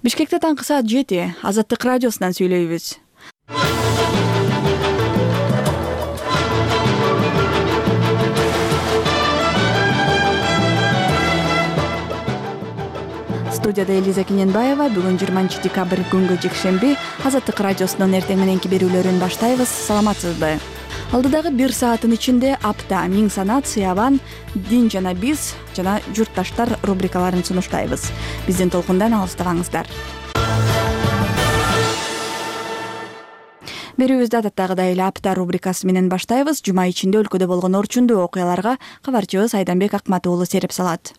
Бишкекте таңкы саат 7 Азаттык радиосунан сүйлөйбүз. Студияда Элиза Кененбаева. Бүгүн 20 декабрь күнгө жекшемби. Азаттык радиосунун эртең мененки берүүлөрүн баштайбыз. Саламатсызбы? Алдыдагы 1 сааттын ичинде апта, миң санат, сыябан, дин жана биз жана журтташтар рубрикаларын сунуштайбыз. Биздин толкундан алыстабаңыздар. Берүүбүздү адаттагыдай эле апта рубрикасы менен баштайбыз. Жума ичинде өлкөдө болгон орчундуу окуяларга кабарчыбыз Айданбек Акмат уулу сереп салат.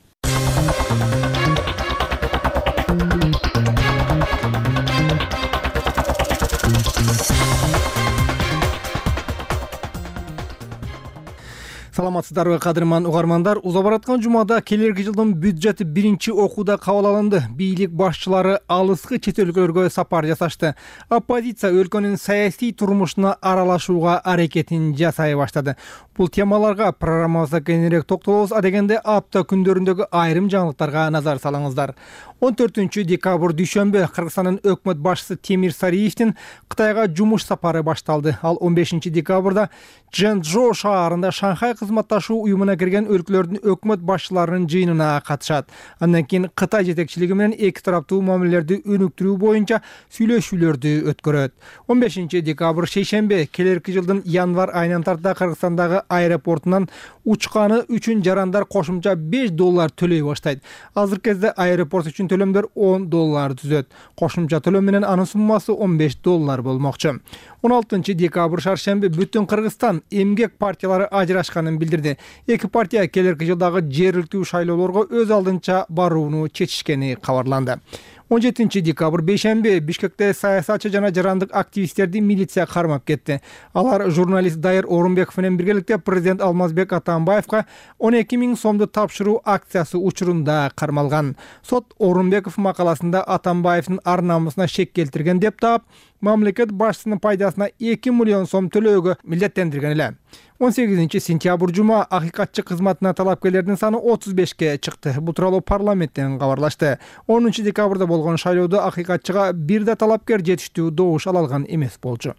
Саламатсыздарбы, кадырман угармандар. Уза бараткан жумада келерки жылдын бюджети биринчи окууда кабыл алынды. Бийлик башчылары алыскы чет өлкөлөргө сапар жасашты. Оппозиция өлкөнүн саясий турмушуна аралашууга аракетин жасай баштады. Бул темаларга программабызда кеңирээк токтолобуз. Адегенде апта күндөрүндөгү айрым жаңылыктарга назар салыңыздар. 14 декабрь дүйшөмбү Кыргызстандын өкмөт башчысы Темир Сариевдин Кытайга жумуш сапары башталды. Ал 15 декабрда Чжэнчжоу шаарында Шанхай кызматташуу уюмуна кирген өлкөлөрдүн өкмөт башчыларынын жыйынына катышат. Андан кийин Кытай жетекчилиги менен эки тараптуу мамилелерди өнүктүрүү боюнча сүйлөшүүлөрдү өткөрөт. 15 декабрь шейшемби келерки жылдын январь айынан тарта Кыргызстандагы аэропортунан учканы үчүн жарандар кошумча $5 төлөй баштайт. Азыркы кезде аэропорт үчүн төлөмдөр $10 түзөт. Кошумча төлөм менен анын суммасы $15 болмокчу. 16 декабрь шаршемби бүтүн Кыргызстан эмгек партиялары ажырашканын билдирди. Эки партия келерки жылдагы жергиликтүү шайлоолорго өз алдынча барууну чечишкени кабарланды. 17 декабрь бейшемби Бишкекте саясатчы жана жарандык активисттерди милиция кармап кетти. Алар журналист Дайыр Орунбеков менен биргеликте президент Алмазбек Атамбаевга 12 000 сомду тапшыруу акциясы учурунда кармалган. Сот Орунбеков макаласында Атамбаевдин ар намысына шек келтирген деп таап, мамлекет башчысынын пайдасына 2 миллион сом төлөөгө милдеттендирген эле. 18 сентябрь жума акыйкатчы кызматына талапкерлердин саны 35ке чыкты. Бул тууралуу парламенттен кабарлашты. 10 декабрда болгон шайлоодо акыйкатчыга бир да талапкер жетиштүү добуш ала алган эмес болчу.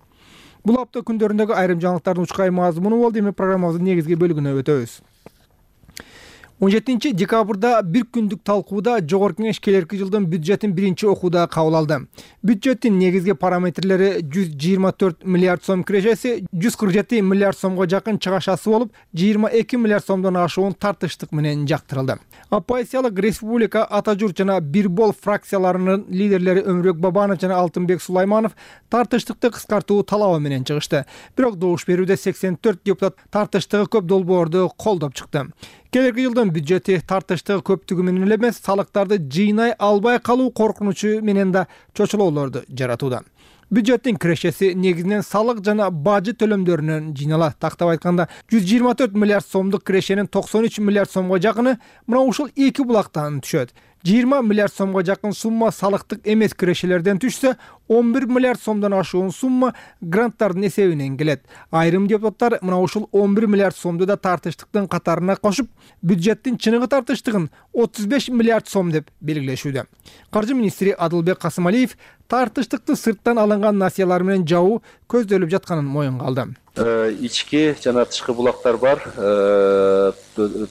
Бул апта күндөрүндөгү айрым жаңылыктардын учкай мазмуну болду. Эми программабыздын негизги бөлүгүнө өтөбүз. 17 декабрда бир күндүк талкууда Жогорку Кеңеш келерки жылдын бюджетин биринчи окууда кабыл алды. Бюджеттин негизги параметрлери 124 миллиард сом кирешеси, 147 миллиард сомго жакын чыгашасы болуп, 22 миллиард сомдон ашуун тартыштык менен жактырылды. Оппозициялык Республика, Ата журт жана Бир бол фракцияларынын лидерлери Өмүрбек Бабанов жана Алтынбек Сулайманов тартыштыкты кыскартуу талабы менен чыгышты. Бирок добуш берүүдө 84 депутат тартыштыгы көп долбоорду колдоп чыкты. Келерки жылдын бюджети тартыштыгы көптүгү менен эле эмес, салыктарды жыйнай албай калуу коркунучу менен да чочулоолорду жаратууда. Бюджеттин кирешеси негизинен салык жана бажы төлөмдөрүнөн жыйналат. Тактап айтканда 124 миллиард сомдук кирешенин 93 миллиард сомго жакыны мына ушул эки булактан түшөт. 20 миллиард сомго жакын сумма салыктык эмес кирешелерден түшсө, 11 миллиард сомдон ашуун сумма гранттардын эсебинен келет. Айрым депутаттар мына ушул 11 миллиард сомду да тартыштыктын катарына кошуп, бюджеттин чыныгы тартыштыгын 35 миллиард сом деп белгилешүүдө. Каржы министри Адылбек Касымалиев тартыштыкты сырттан алынган насыялар менен жабуу көздөлүп жатканын моюнга алды. Ички жана тышкы булактар бар,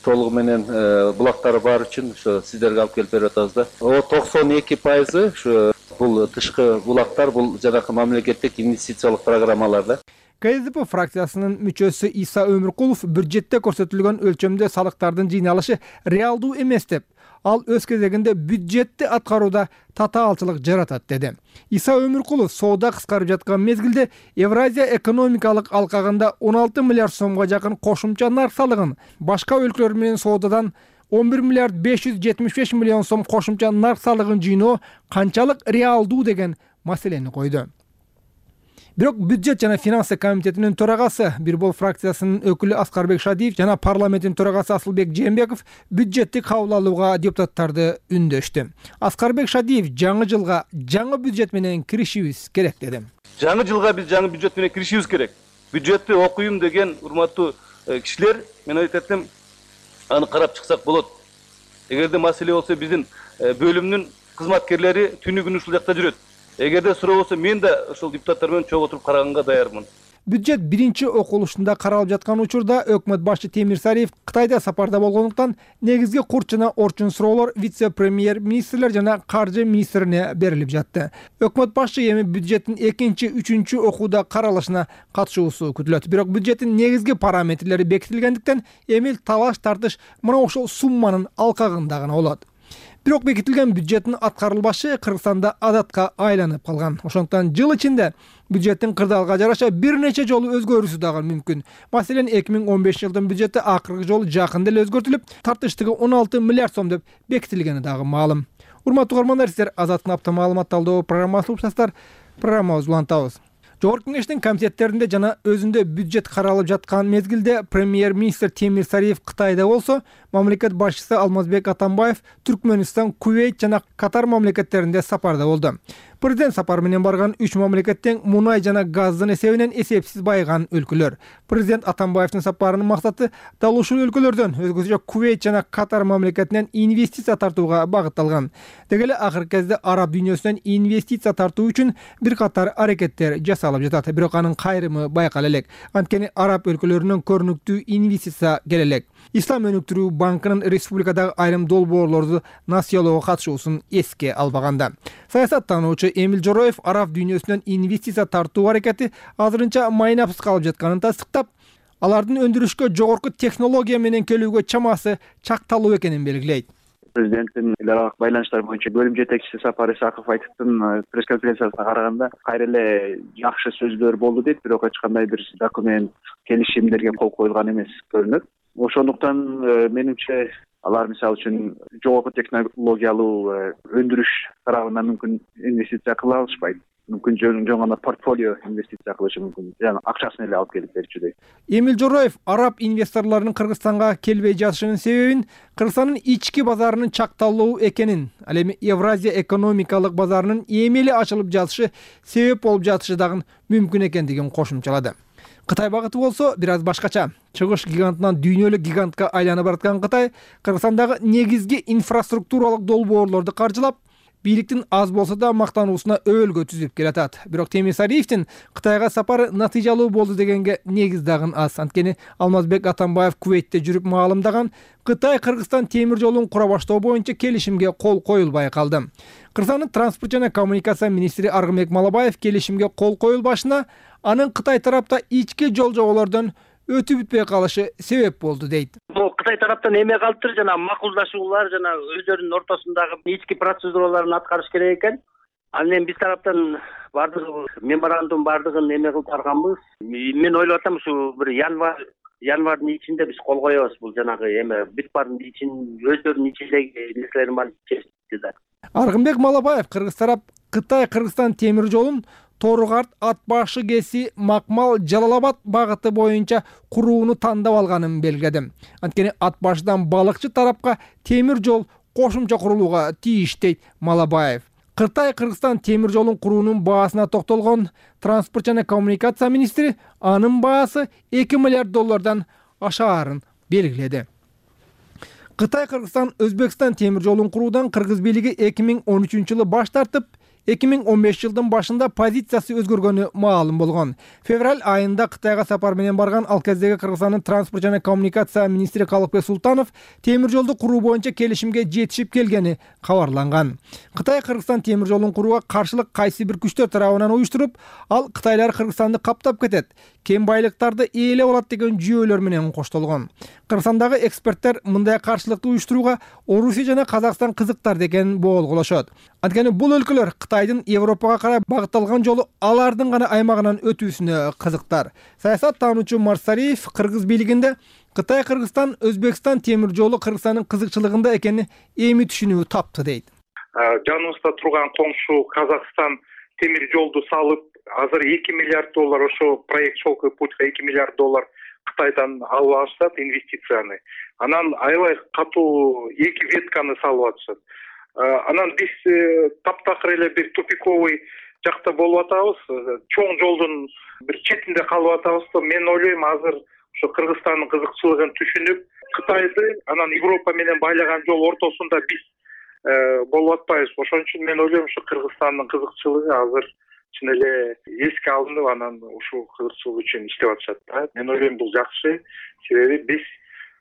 толугу менен булактар бар үчүн ошо сиздерге алып келип берип атабыз да. 92% ушу бул тышкы булактар, бул жанакы мамлекеттик инвестициялык программалар да. КСДП фракциясынын мүчөсү Иса Өмүркулов бюджетте көрсөтүлгөн өлчөмдө салыктардын жыйналышы реалдуу эмес деп, ал өз кезегинде бюджетти аткарууда татаалчылык жаратат деди. Иса Өмүркулов соода кыскарып жаткан мезгилде Евразия экономикалык алкагында 16 миллиард сомго жакын кошумча нарк салыгын, башка өлкөлөр менен соодадан 11 миллиард 575 миллион сом кошумча нарк салыгын жыйноо канчалык реалдуу деген маселени койду. Бирок бюджет жана финансы комитетинин төрагасы Бир бол фракциясынын өкүлү Аскарбек Шадиев жана парламенттин төрагасы Асылбек Жээнбеков бюджетти кабыл алууга депутаттарды үндөштү. Аскарбек Шадиев жаңы жылга жаңы бюджет менен киришибиз керек деди. Жаңы жылга биз жаңы бюджет менен киришибиз керек. Бюджетти окуйм деген урматтуу кишилер, мен айтатым, аны карап чыксак болот. Эгерде маселе болсо биздин бөлүмдүн кызматкерлери түнү күнү ушул жакта жүрөт. Эгерде суроо болсо мен да ушул депутаттар менен чогуу отуруп караганга даярмын. Бюджет биринчи окулушунда каралып жаткан учурда өкмөт башчы Темир Сариев Кытайда сапарда болгондуктан негизги курч жана орчун суроолор вице-премьер-министрлер жана каржы министрине берилип жатты. Өкмөт башчы эми бюджеттин 2-3 окууда каралышына катышуусу күтүлөт. Бирок бюджеттин негизги параметрлери бекитилгендиктен эми талаш тартыш мына ошол сумманын алкагында гана болот. Бирок бекитилген бюджеттин аткарылбашы Кыргызстанда адатка айланып калган. Ошондуктан жыл ичинде бюджеттин кырдаалга жараша бир нече жолу өзгөрүүсү дагы мүмкүн. Маселен, 2015 жылдын бюджети акыркы жолу жакында эле өзгөртүлүп, тартыштыгы 16 миллиард сом деп бекитилгени дагы маалым. Урматтуу угармандар, сиздер Азаттын апта маалымат талдоо программасын уктуңуздар. Программабызды улантабыз. Жогорку кеңештин комитеттеринде жана өзүндө бюджет каралып жаткан мезгилде премьер-министр Темир Сариев Кытайда болсо, мамлекет башчысы Алмазбек Атамбаев Түркмөнстан, Кувейт жана Катар мамлекеттеринде сапарда болду. Президент сапар менен барган 3 мамлекеттен мунай жана газдын эсебинен эсепсиз байыган өлкөлөр. Президент Атамбаевдин сапарынын максаты дал ушул өлкөлөрдөн, өзгөчө Кувейт жана Катар мамлекетинен инвестиция тартууга багытталган. Деги эле акыркы кезде араб дүйнөсүнөн инвестиция тартуу үчүн бир катар аракеттер жасалып жатат. Бирок анын кайрымы байкала элек. Анткени араб өлкөлөрүнөн көрүнүктүү инвестиция келе элек. Ислам өнүктүрүү банкынын республикадагы айрым долбоорлорду насыялоого катышуусун эске албаганда. Саясаттануучу Эмил Жороев араб дүйнөсүнөн инвестиция тартуу аракети азырынча майнапсыз калып жатканын тастыктап, алардын өндүрүшкө жогорку технология менен келүүгө чамасы чакталуу экенин белгилейт. Президенттин эл аралык байланыштар боюнча бөлүм жетекчиси Сапар Исаков Айтыптын пресс-конференциясына караганда кайра эле жакшы сөздөр болду дейт, бирок эч кандай бир документ, келишимдерге кол коюлган эмес көрүнөт. Ошондуктан менимче алар мисалы үчүн жогорку технологиялуу өндүрүш тарабынан мүмкүн инвестиция кыла алышпайт. Мүмкүн жөн гана портфолио инвестиция кылышы мүмкүн. Жана акчасын эле алып келип берчү дейт. Эмил Жороев араб инвесторлорунун Кыргызстанга келбей жатышынын себебин Кыргызстандын ички базарынын чакталуу экенин, ал эми Евразия экономикалык базарынын эми эле ачылып жатышы себеп болуп жатышы дагы мүмкүн экендигин кошумчалады. Кытай багыты болсо бир аз башкача. Чыгыш гигантынан дүйнөлүк гигантка айланып бараткан Кытай Кыргызстандагы негизги инфраструктуралык долбоорлорду каржылап, бийликтин аз болсо да мактануусуна өбөлгө түзүп келатат. Бирок Темир Сариевдин Кытайга сапары натыйжалуу болду дегенге негиз дагы аз. Анткени Алмазбек Атамбаев Кувейтте жүрүп маалымдаган Кытай-Кыргызстан темир жолун кура баштоо боюнча келишимге кол коюлбай калды. Кыргызстандын транспорт жана коммуникация министри Аргынбек Малабаев келишимге кол коюлбашына анын Кытай тарапта ички жол жоболордон өтүп бүтпөй калышы себеп болду дейт. Кытай тараптан эме калыптыр, жана макулдашуулар жана өздөрүнүн ортосундагы ички процедураларын аткарыш керек экен. Анан биз тараптан бардыгы меморандум бардыгын эме кылып барганбыз. Мен ойлоп атам, ушу бир январдын ичинде биз кол коебуз. Бул жанагы эме бүт бардын ичин өздөрүнүн ичиндеги нерселерин баарын чечти да. Аргынбек Малабаев Кыргыз тарап Кытай-Кыргызстан темир жолун Торгарт, Ат башы кеси, Макмал, Жалалабад багыты боюнча курууну тандап алганын белгиледи. Анткени Ат башыдан балыкчы тарапка темир жол кошумча курулууга тийиш дейт Малабаев. Кытай-Кыргызстан темир жолун куруунун баасына токтолгон транспорт жана коммуникация министри анын баасы 2 миллиард доллардан ашаарын белгиледи. Кытай-Кыргызстан Өзбекстан темир жолун куруудан Кыргыз бийлиги 2013-жылы баш тартып, 2015 жылдын башында позициясы өзгөргөнү маалым болгон. Февраль айында Кытайга сапар менен барган ал кездеги Кыргызстандын транспорт жана коммуникация министри Калыкбек Султанов темир жолду куруу боюнча келишимге жетишип келгени кабарланган. Кытай Кыргызстан темир жолун курууга каршылык кайсы бир күчтөр тарабынан уюштуруп, ал Кытайлар Кыргызстанды каптап кетет, кем байлыктарды ээлеп алат деген жүйөлөр менен коштолгон. Кыргызстандагы эксперттер мындай каршылыкты уюштурууга Орусия жана Казакстан кызыктар деген боолголошот. Анткени бул өлкөлөр Кытайдын Европага карай багытталган жолу алардын гана аймагынан өтүүсүнө кызыктар. Саясаттануучу Марсариев Кыргыз бийлигинде Кытай-Кыргызстан Өзбекстан темир жолу Кыргызстандын кызыкчылыгында экени эми түшүнүү тапты дейт. Жаныбызда турган коңшу Казакстан темир жолду салып, азыр 2 миллиард доллар ошо проект «Шелковый путь» 2 миллиард доллар Кытайдан алып алышат инвестицияны. Анан аябай катуу 2 ветканы салып атышат. Анан биз таптакыр эле бир тупиковый жакта болуп атабыз. Чоң жолдун бир четинде калып атабыз. Мен ойлойм, азыр ошо Кыргызстандын кызыкчылыгын түшүнүп, Кытайды анан Европа менен байлаган жол ортосунда биз болуп атпайбыз. Ошон үчүн мен ойлойм, ушу Кыргызстандын кызыкчылыгы азыр чын эле эске алынып, анан ушул кызыкчылык үчүн иштеп атышат да. Мен ойлойм бул жакшы, себеби биз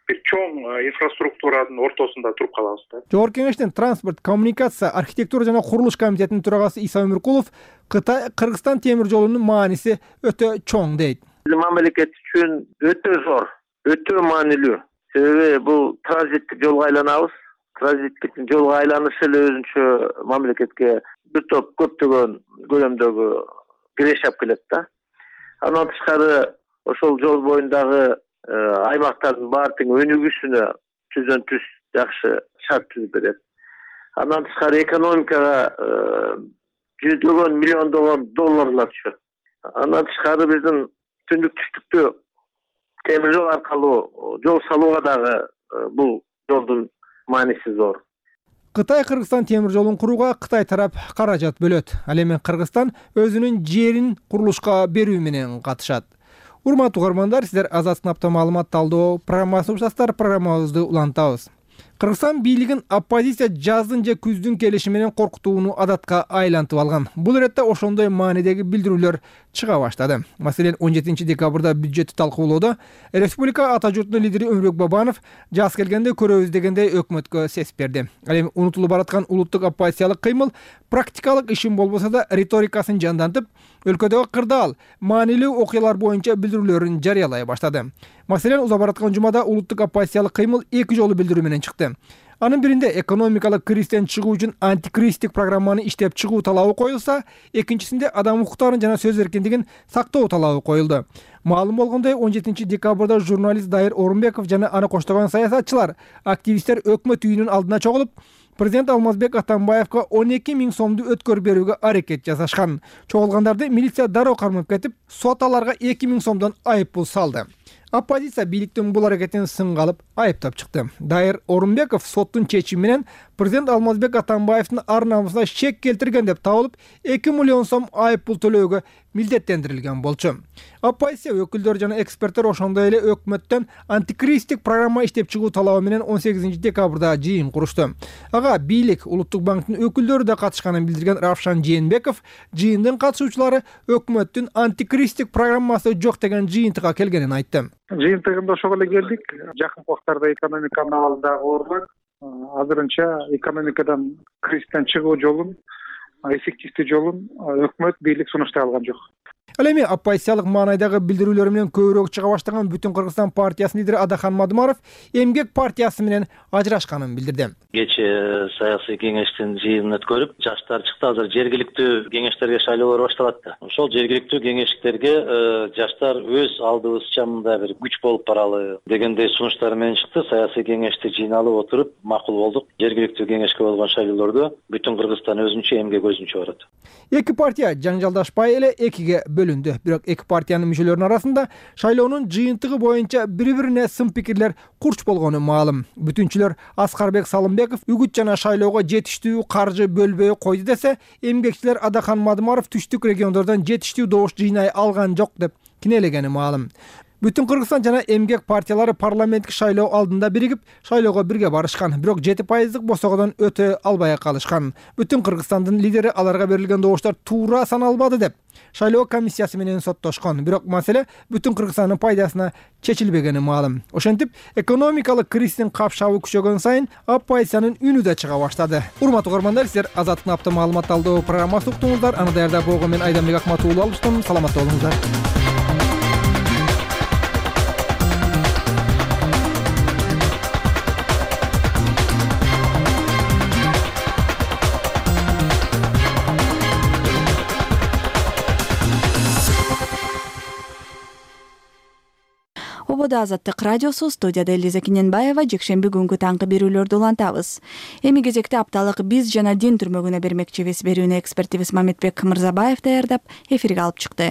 бир чоң инфраструктуранын ортосунда туруп калабыз да. Жогорку кеңештин транспорт, коммуникация, архитектура жана курулуш комитетинин төрагасы Иса Өмүркулов Кытай Кыргызстан темир жолунун мааниси өтө чоң дейт. Мамлекет үчүн өтө зор, өтө маанилүү. Себеби бул транзиттик жолго айланабыз. Транзиттик жолго айланыш эле өзүнчө мамлекетке бир топ көптөгөн көлөмдөгү киреш алып келет да. Андан тышкары ошол жол боюндагы аймактардын баары тең өнүгүүсүнө түздөн түз жакшы шарт түзүп берет. Андан тышкары экономикага жүздөгөн миллиондогон долларлар түшөт. Андан тышкары биздин түндүк түштүктө темир жол аркылуу жол салууга дагы бул жолдун мааниси зор. Кытай Кыргызстан темир жолун курууга Кытай тарап каражат бөлөт. Ал эми Кыргызстан өзүнүн жерин курулушка берүү менен катышат. Урматтуу угармандар, сиздер Азат сынапта маалымат талдоо программасын уктасыздар. Программабызды улантабыз. Кыргызстан бийлигин оппозиция жаздын же күздүн келиши менен коркутууну адатка айлантып алган. Бул иретте ошондой маанидеги билдирүүлөр чыга баштады. Маселен, 17 декабрда бюджетти талкуулоодо республика ата журтунун лидери Өмүрбек Бабанов жаз келгенде көрөбүз дегендей өкмөткө сес берди. Ал эми унутулуп бараткан улуттук оппозициялык кыймыл практикалык ишин болбосо да риторикасын жандантып, өлкөдөгү кырдаал, маанилүү окуялар боюнча билдирүүлөрүн жарыялай баштады. Маселен, уза бараткан жумада улуттук оппозициялык кыймыл 2 жолу билдирүү менен чыкты. Анын биринде экономикалык кризистен чыгуу үчүн антикризистик программаны иштеп чыгуу талабы коюлса, экинчисинде адам укуктарын жана сөз эркиндигин сактоо талабы коюлду. Маалым болгондой, 17 декабрда журналист Дайыр Орунбеков жана аны коштогон саясатчылар, активисттер өкмөт үйүнүн алдына чогулуп, президент Алмазбек Атамбаевка 12 000 сомду өткөр берүүгө аракет жасашкан. Чогулгандарды милиция дароо кармап кетип, сот аларга 2 000 сомдон айыппул салды. Оппозиция бийликтин бул аракетин сынга алып айыптап чыкты. Дайыр Орунбеков соттун чечими менен президент Алмазбек Атамбаевдин ар намысына шек келтирген деп табылып, 2 миллион сом айыппул төлөөгө милдеттендирилген болчу. Оппозиция өкүлдөрү жана эксперттер ошондой эле өкмөттөн антикризистик программа иштеп чыгуу талабы менен 18 декабрда жыйын курушту. Ага бийлик, Улуттук банктын өкүлдөрү да катышканын билдирген Равшан Жээнбеков жыйындын катышуучулары өкмөттүн антикризистик программасы жок деген жыйынтыга келгенин айтты. Жыйынтыгында ошого эле келдик. Жакын убактарда экономиканын абалы дагы оорулат. Азырынча экономикадан кризистен чыгуу жолун, эффективдүү жолун өкмөт, бийлик сунуштай алган жок. Ал эми оппозициялык маанайдагы билдирүүлөр менен көбүрөөк чыга баштаган Бүтүн Кыргызстан партиясынын лидери Адахан Мадумаров Эмгек партиясы менен ажырашканын билдирди. Кечээ саясий кеңештин жыйынын өткөрүп, жаштар чыкты. Азыр жергиликтүү кеңештерге шайлоолор башталат да. Ошол жергиликтүү кеңештерге жаштар өз алдыбызча мындай бир күч болуп баралы дегендей сунуштар менен чыкты. Саясий кеңешти жыйналып отуруп макул болдук. Жергиликтүү кеңешке болгон шайлоолордо Бүтүн Кыргызстан өзүнчө, Эмгек өзүнчө барат. Эки партия жаңжалдашпай эле экиге бөлүндү. Бирок эки партиянын мүчөлөрүнүн арасында шайлоонун жыйынтыгы боюнча бири-бирине сын пикирлер курч болгону маалым. Бүтүнчүлөр Аскарбек Салымбеков үгүт жана шайлоого жетиштүү каржы бөлбөй койду десе, эмгекчилер Адахан Мадумаров түштүк региондордон жетиштүү добуш жыйнай алган жок деп кинелегени маалым. Бүтүн Кыргызстан жана Эмгек партиялары парламенттик шайлоо алдында биригип, шайлоого бирге барышкан, бирок 7% босогодон өтө албай калышкан. Бүтүн Кыргызстандын лидери аларга берилген добуштар туура саналбады деп шайлоо комиссиясы менен соттошкон. Бирок маселе Бүтүн Кыргызстандын пайдасына чечилбегени маалым. Ошентип, экономикалык кризистин капшабы күчөгөн сайын оппозициянын үнү да чыга баштады. Урматтуу угармандар, сиздер Азаттык апта маалымат талдоо программасын уктуңуздар. Аны даярдап болгон мен Айданбек Акматов алыштым. Саламатта болуңуздар. Ободо Азаттык радиосу, студияда Элиза Киненбаева. Жекшемби күнгү таңкы берүүлөрдү улантабыз. Эми кезекте апталык биз жана дин түрмөгүнө бермекчибиз берүүнү экспертибиз Мамитбек Мырзабаев даярдап эфирге алып чыкты.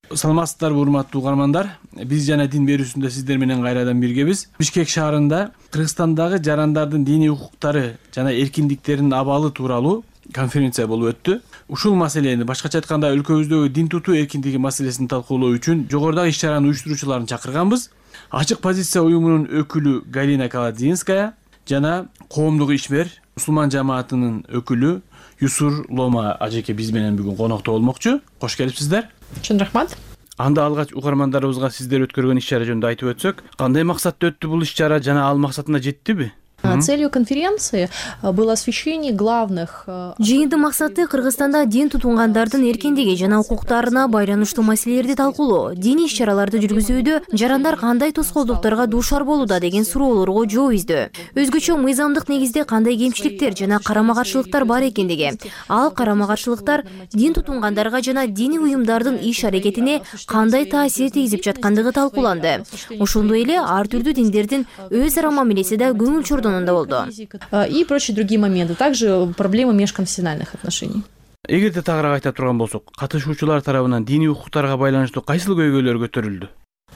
Саламатсыздарбы урматтуу угармандар. Биз жана дин берүүсүндө сиздер менен кайрадан биргебиз. Бишкек шаарында Кыргызстандагы жарандардын диний укуктары жана эркиндиктеринин абалы тууралуу конференция болуп өттү. Ушул маселени, башкача айтканда, өлкөбүздөгү дин тутуу эркиндиги маселесин талкуулоо үчүн жогорудагы иш-чаранын уюштуруучуларын чакырганбыз. Ачык позиция уюмунун өкүлү Галина Каладзинская жана коомдук ишмер мусулман жамаатынын өкүлү Юсур Лома ажеке биз менен бүгүн конокто болмокчу. Кош келипсиздер. Чын рахмат. Анда алгач угармандарыбызга сиздер өткөргөн иш-чара жөнүндө айтып өтсөк, кандай максатта өттү бул иш-чара жана ал максатына жеттиби? Целью конференции было освещение главных. Жыйындын максаты Кыргызстанда дин тутунгандардын эркиндиги жана укуктарына байланыштуу маселелерди талкуулоо. Диний иш-чараларды жүргүзүүдө жарандар кандай тоскоолдуктарга дуушар болууда деген суроолорго жооп издөө. Өзгөчө мыйзамдык негизде кандай кемчиликтер жана карама-каршылыктар бар экендиги, ал карама-каршылыктар дин тутунгандарга жана диний уюмдардын иш-аракетине кандай таасир тийгизип жаткандыгы талкууланды. Ошондой эле ар түрдүү диндердин өз ара мамилеси да көңүл чордон и прочие другие моменты, также проблемы межконфессиональных отношений. Эгерде тагыраак айта турган болсок, катышуучулар тарабынан диний укуктарга байланыштуу кайсыл көйгөйлөр көтөрүлдү?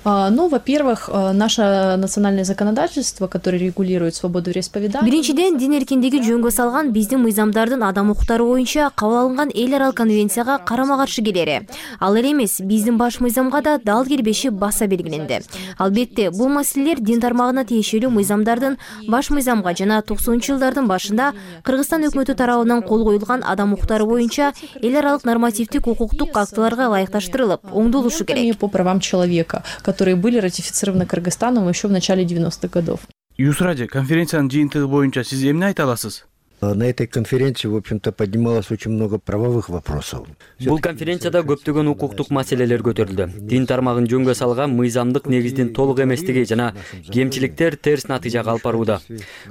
Ну, во-первых, наше национальное законодательство, которое регулирует свободу вероисповедания. Биринчиден, дин эркиндиги жөнгө салган биздин мыйзамдардын адам укуктары боюнча кабыл алынган эл аралык конвенцияга карама-каршы келери. Ал эле эмес, биздин баш мыйзамга да дал келбеши баса белгиленди. Албетте, бул маселелер дин тармагына тиешелүү мыйзамдардын баш мыйзамга жана 90-жылдардын башында Кыргызстан өкмөтү тарабынан кол коюлган адам укуктары боюнча эл аралык нормативдик укуктук актыларга ылайыкташтырылып, оңдолушу керек. По правам человека, которые были ратифицированы Кыргызстаном еще в начале 90-х годов. Юсраджи, конференциянын жыйынтыгы боюнча сиз эмне айта аласыз? На этой конференции, в общем-то, поднималось очень много правовых вопросов. Бул конференцияда көптөгөн укуктук маселелер көтөрүлдү. Дин тармагын жөнгө салган мыйзамдык негиздин толук эместиги жана кемчиликтер терс натыйжага алып барууда.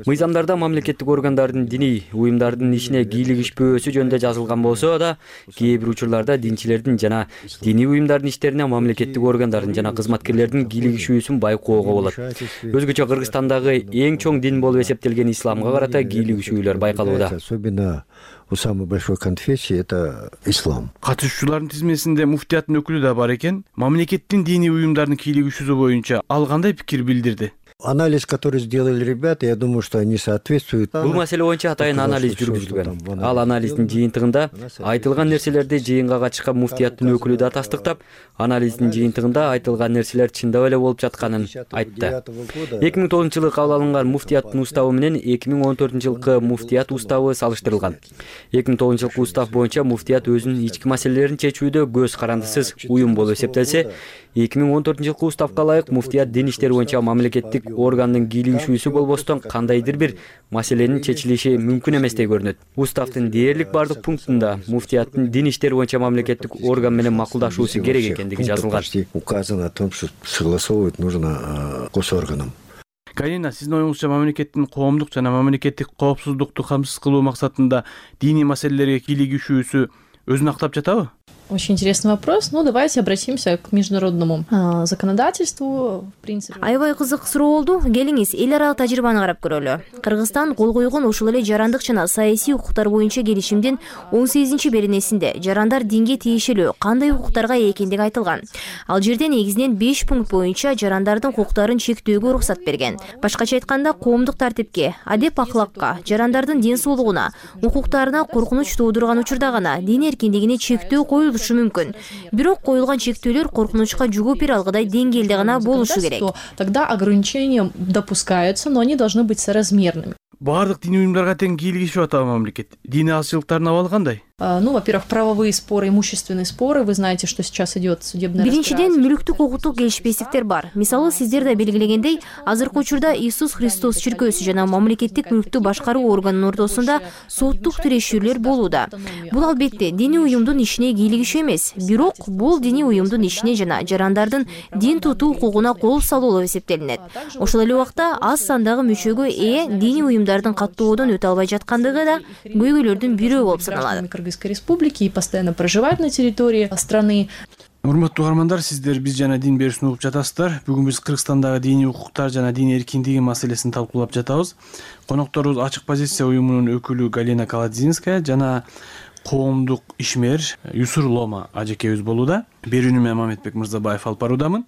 Мыйзамдарда мамлекеттик органдардын диний уюмдардын ишине кийлигишпөөсү жөнүндө жазылган болсо да, кээ бир учурларда динчилердин жана диний уюмдардын иштерине мамлекеттик органдардын жана кызматкерлердин кийлигишүүсүн байкоого болот. Өзгөчө Кыргызстандагы эң чоң дин болуп эсептелген исламга карата кийлигишүүлөр байкалат. Особенно у самой большой конфессии это ислам. Катышуучулардын тизмесинде муфтияттын өкүлү да бар экен. Мамлекеттин диний уюмдардын кийлигишүүсү боюнча ал кандай пикир билдирди? Анализ, который сделали ребята, я думаю, что они соответствуют. Бул маселе боюнча атайын анализ жүргүзүлгөн. Ал анализдин жыйынтыгында айтылган нерселерди жыйынга катышкан муфтияттын өкүлү да тастыктап, анализдин жыйынтыгында айтылган нерселер чындап эле болуп жатканын айтты. 2009-жылы кабыл алынган муфтияттын уставы менен 2014-жылкы муфтият уставы салыштырылган. 2009-жылкы устав боюнча муфтият өзүнүн ички маселелерин чечүүдө көз карандысыз уюм болуп эсептелсе, 2014-жылкы уставга ылайык муфтият дин иштери боюнча мамлекеттик органдын кийлигишүүсү болбостон кандайдыр бир маселенин чечилиши мүмкүн эместей көрүнөт. Уставдын дээрлик бардык пунктунда муфтияттын дин иштери боюнча мамлекеттик орган менен макулдашуусу керек экендиги жазылган. Указано о том, что согласовывать нужно госорганом. Галина, сиздин оюңузча мамлекеттин коомдук жана мамлекеттик коопсуздукту камсыз кылуу максатында диний маселелерге кийлигишүүсү өзүн актап жатабы? Очень интересный вопрос. Ну, давайте обратимся к международному законодательству, в принципе. Аябай кызык суроо болду. Келиңиз, эл аралык тажрыйбаны карап көрөлү. Кыргызстан кол койгон ушул эле жарандык жана саясий укуктар боюнча келишимдин 18-беренесинде жарандар динге тиешелүү кандай укуктарга ээ экендиги айтылган. Ал жерде негизинен 5 пункт боюнча жарандардын укуктарын чектөөгө уруксат берген. Башкача айтканда, коомдук тартипке, адеп акылакка, жарандардын ден соолугуна, укуктарына коркунуч туудурган учурда гана дин эркиндигине чектөө коюлушу мүмкүн. Бирок коюлган чектөөлөр коркунучка жооп бере алгыдай деңгээлде гана болушу керек. Тогда ограничения допускаются, но они должны быть соразмерными. Бардык диний уюмдарга тең кийлигишип атабы мамлекет? Диний азчылыктардын абалы кандай? Ну, во-первых, правовые споры, имущественные споры. Вы знаете, что сейчас идет судебное разбирательство. Биринчиден, мүлүктүк укуктук келишпестиктер бар. Мисалы, сиздер да белгилегендей, азыркы учурда Иисус Христос чиркөөсү жана мамлекеттик мүлктү башкаруу органынын ортосунда соттук тирешүүлөр болууда. Бул албетте диний уюмдун ишине кийлигишүү эмес, бирок бул диний уюмдун ишине жана жарандардын дин тутуу укугуна кол салуу болуп эсептелинет. Ошол эле убакта аз сандагы мүчөгө ээ диний уюмдардын каттоодон өтө албай жаткандыгы да көйгөйлөрдүн бирөө болуп саналат. Республики и постоянно проживают на территории страны. Урматтуу угармандар, сиздер биз жана дин берүүсүн угуп жатасыздар. Бүгүн биз Кыргызстандагы диний укуктар жана дин эркиндиги маселесин талкуулап жатабыз. Конокторубуз Ачык позиция уюмунун өкүлү Галина Каладзинская жана коомдук ишмер Юсур Лома ажекебиз болууда. Берүүнү мен Мамедбек Мырзабаев алып баруудамын.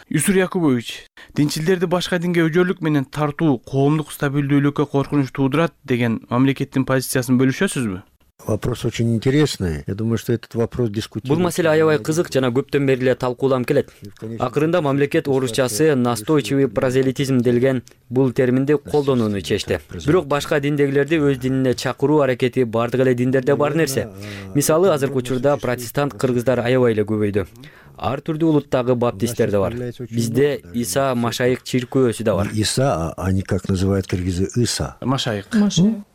Юсур Якубович, динчилдерди башка динге өжөлүк менен тартуу коомдук стабилдүүлүккө коркунуч туудурат деген мамлекеттин позициясын бөлүшөсүзбү? Вопрос очень интересный. Я думаю, что этот вопрос дискутируется. Бул маселе аябай кызык жана көптөн бери эле талкууланып келет. Акырында мамлекет орусчасы настойчивый прозелитизм делген бул терминди колдонууну чечти. Бирок башка диндегилерди өз динине чакыруу аракети бардык эле диндерде бар нерсе. Мисалы, азыркы учурда протестант кыргыздар аябай эле көбөйдү. Ар түрдүү улуттагы баптисттер да бар. Бизде Иса Машайык чиркөөсү да бар. Иса, они как называют кыргызы Иса. Машайык.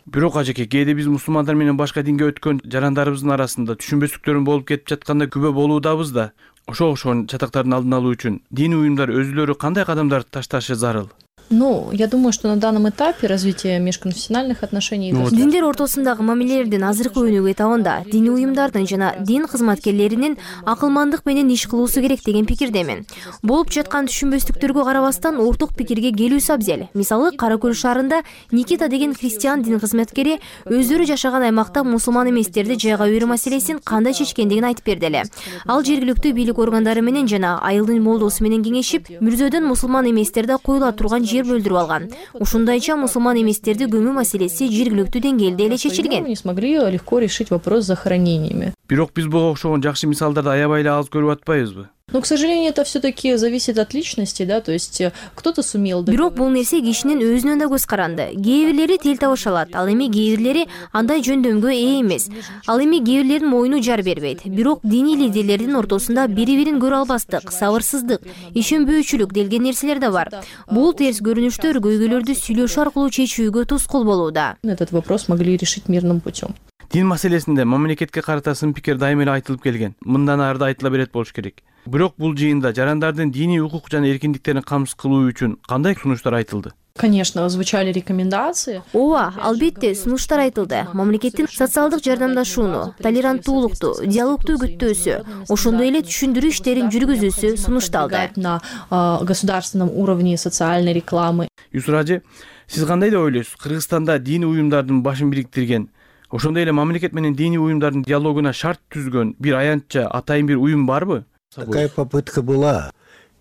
Бирок ажеке, кээде биз мусулмандар менен башка динге өткөн жарандарыбыздын арасында түшүнбөстүктөрүн болуп кетип жатканда күбө болуудабыз да. Ошого окшогон чатактардын алдын алуу үчүн диний уюмдар өзүлөрү кандай кадамдар ташташы зарыл? Я думаю, что на данном этапе развития межконфессиональных отношений... Диндер ортосундагы мамилелердин азыркы өнүгүү этабында диний уюмдардын жана дин кызматкерлеринин акылмандык менен иш кылуусу керек деген пикирдемин. Болуп жаткан түшүнбөстүктөргө карабастан орток пикирге келүүсү абзел. Мисалы, Кара Көл шаарында Никита деген христиан дин кызматкери өздөрү жашаган аймакта мусулман эместерди жайга берүү маселесин кандай чечкендигин айтып берди эле. Ал жергиликтүү бийлик органдары менен жана айылдын молдосу менен кеңешип, мүрзөдөн мусулман эместерди коюла турган бөлдүрүп алган. Ушундайча мусулман эместерди көмүү маселеси жергиликтүү деңгээлде эле чечилген. Не смогли легко решить вопрос с захоронениями. Бирок биз буга окшогон жакшы мисалдарды аябай эле аз көрүп атпайбызбы? Но, к сожалению, это все-таки зависит от личности, да, то есть кто-то сумел... Бирок бул нерсе кишинин өзүнөн да көз каранды. Кээ бирлери тил табыша алат, ал эми кээ бирлери андай жөндөмгө ээ эмес. Ал эми кээ бирлердин моюну жар бербейт. Бирок диний лидерлердин ортосунда бири-бирин көрө албастык, сабырсыздык, ишенбөөчүлүк делген нерселер да бар. Бул терс көрүнүштөр көйгөйлөрдү сүйлөшүү аркылуу чечүүгө тоскоол болууда. Этот вопрос могли решить мирным путем. Дин маселесинде мамлекетке карата сын пикир дайыма эле айтылып келген. Мындан ары да айтыла берет болуш керек. Бирок бул жыйында жарандардын диний укук жана эркиндиктерин камсыз кылуу үчүн кандай сунуштар айтылды? Конечно, звучали рекомендации. Ооба, албетте сунуштар айтылды. Мамлекеттин социалдык жардамдашууну, толеранттуулукту, диалогту күттөөсү, ошондой эле түшүндүрүү иштерин жүргүзүүсү сунушталды. На государственном уровне социальной рекламы. Юсур ажы, сиз кандай деп ойлойсуз? Кыргызстанда диний уюмдардын башын бириктирген, ошондой эле мамлекет менен диний уюмдардын диалогуна шарт түзгөн бир аянтча атайын бир уюм барбы? Такая попытка была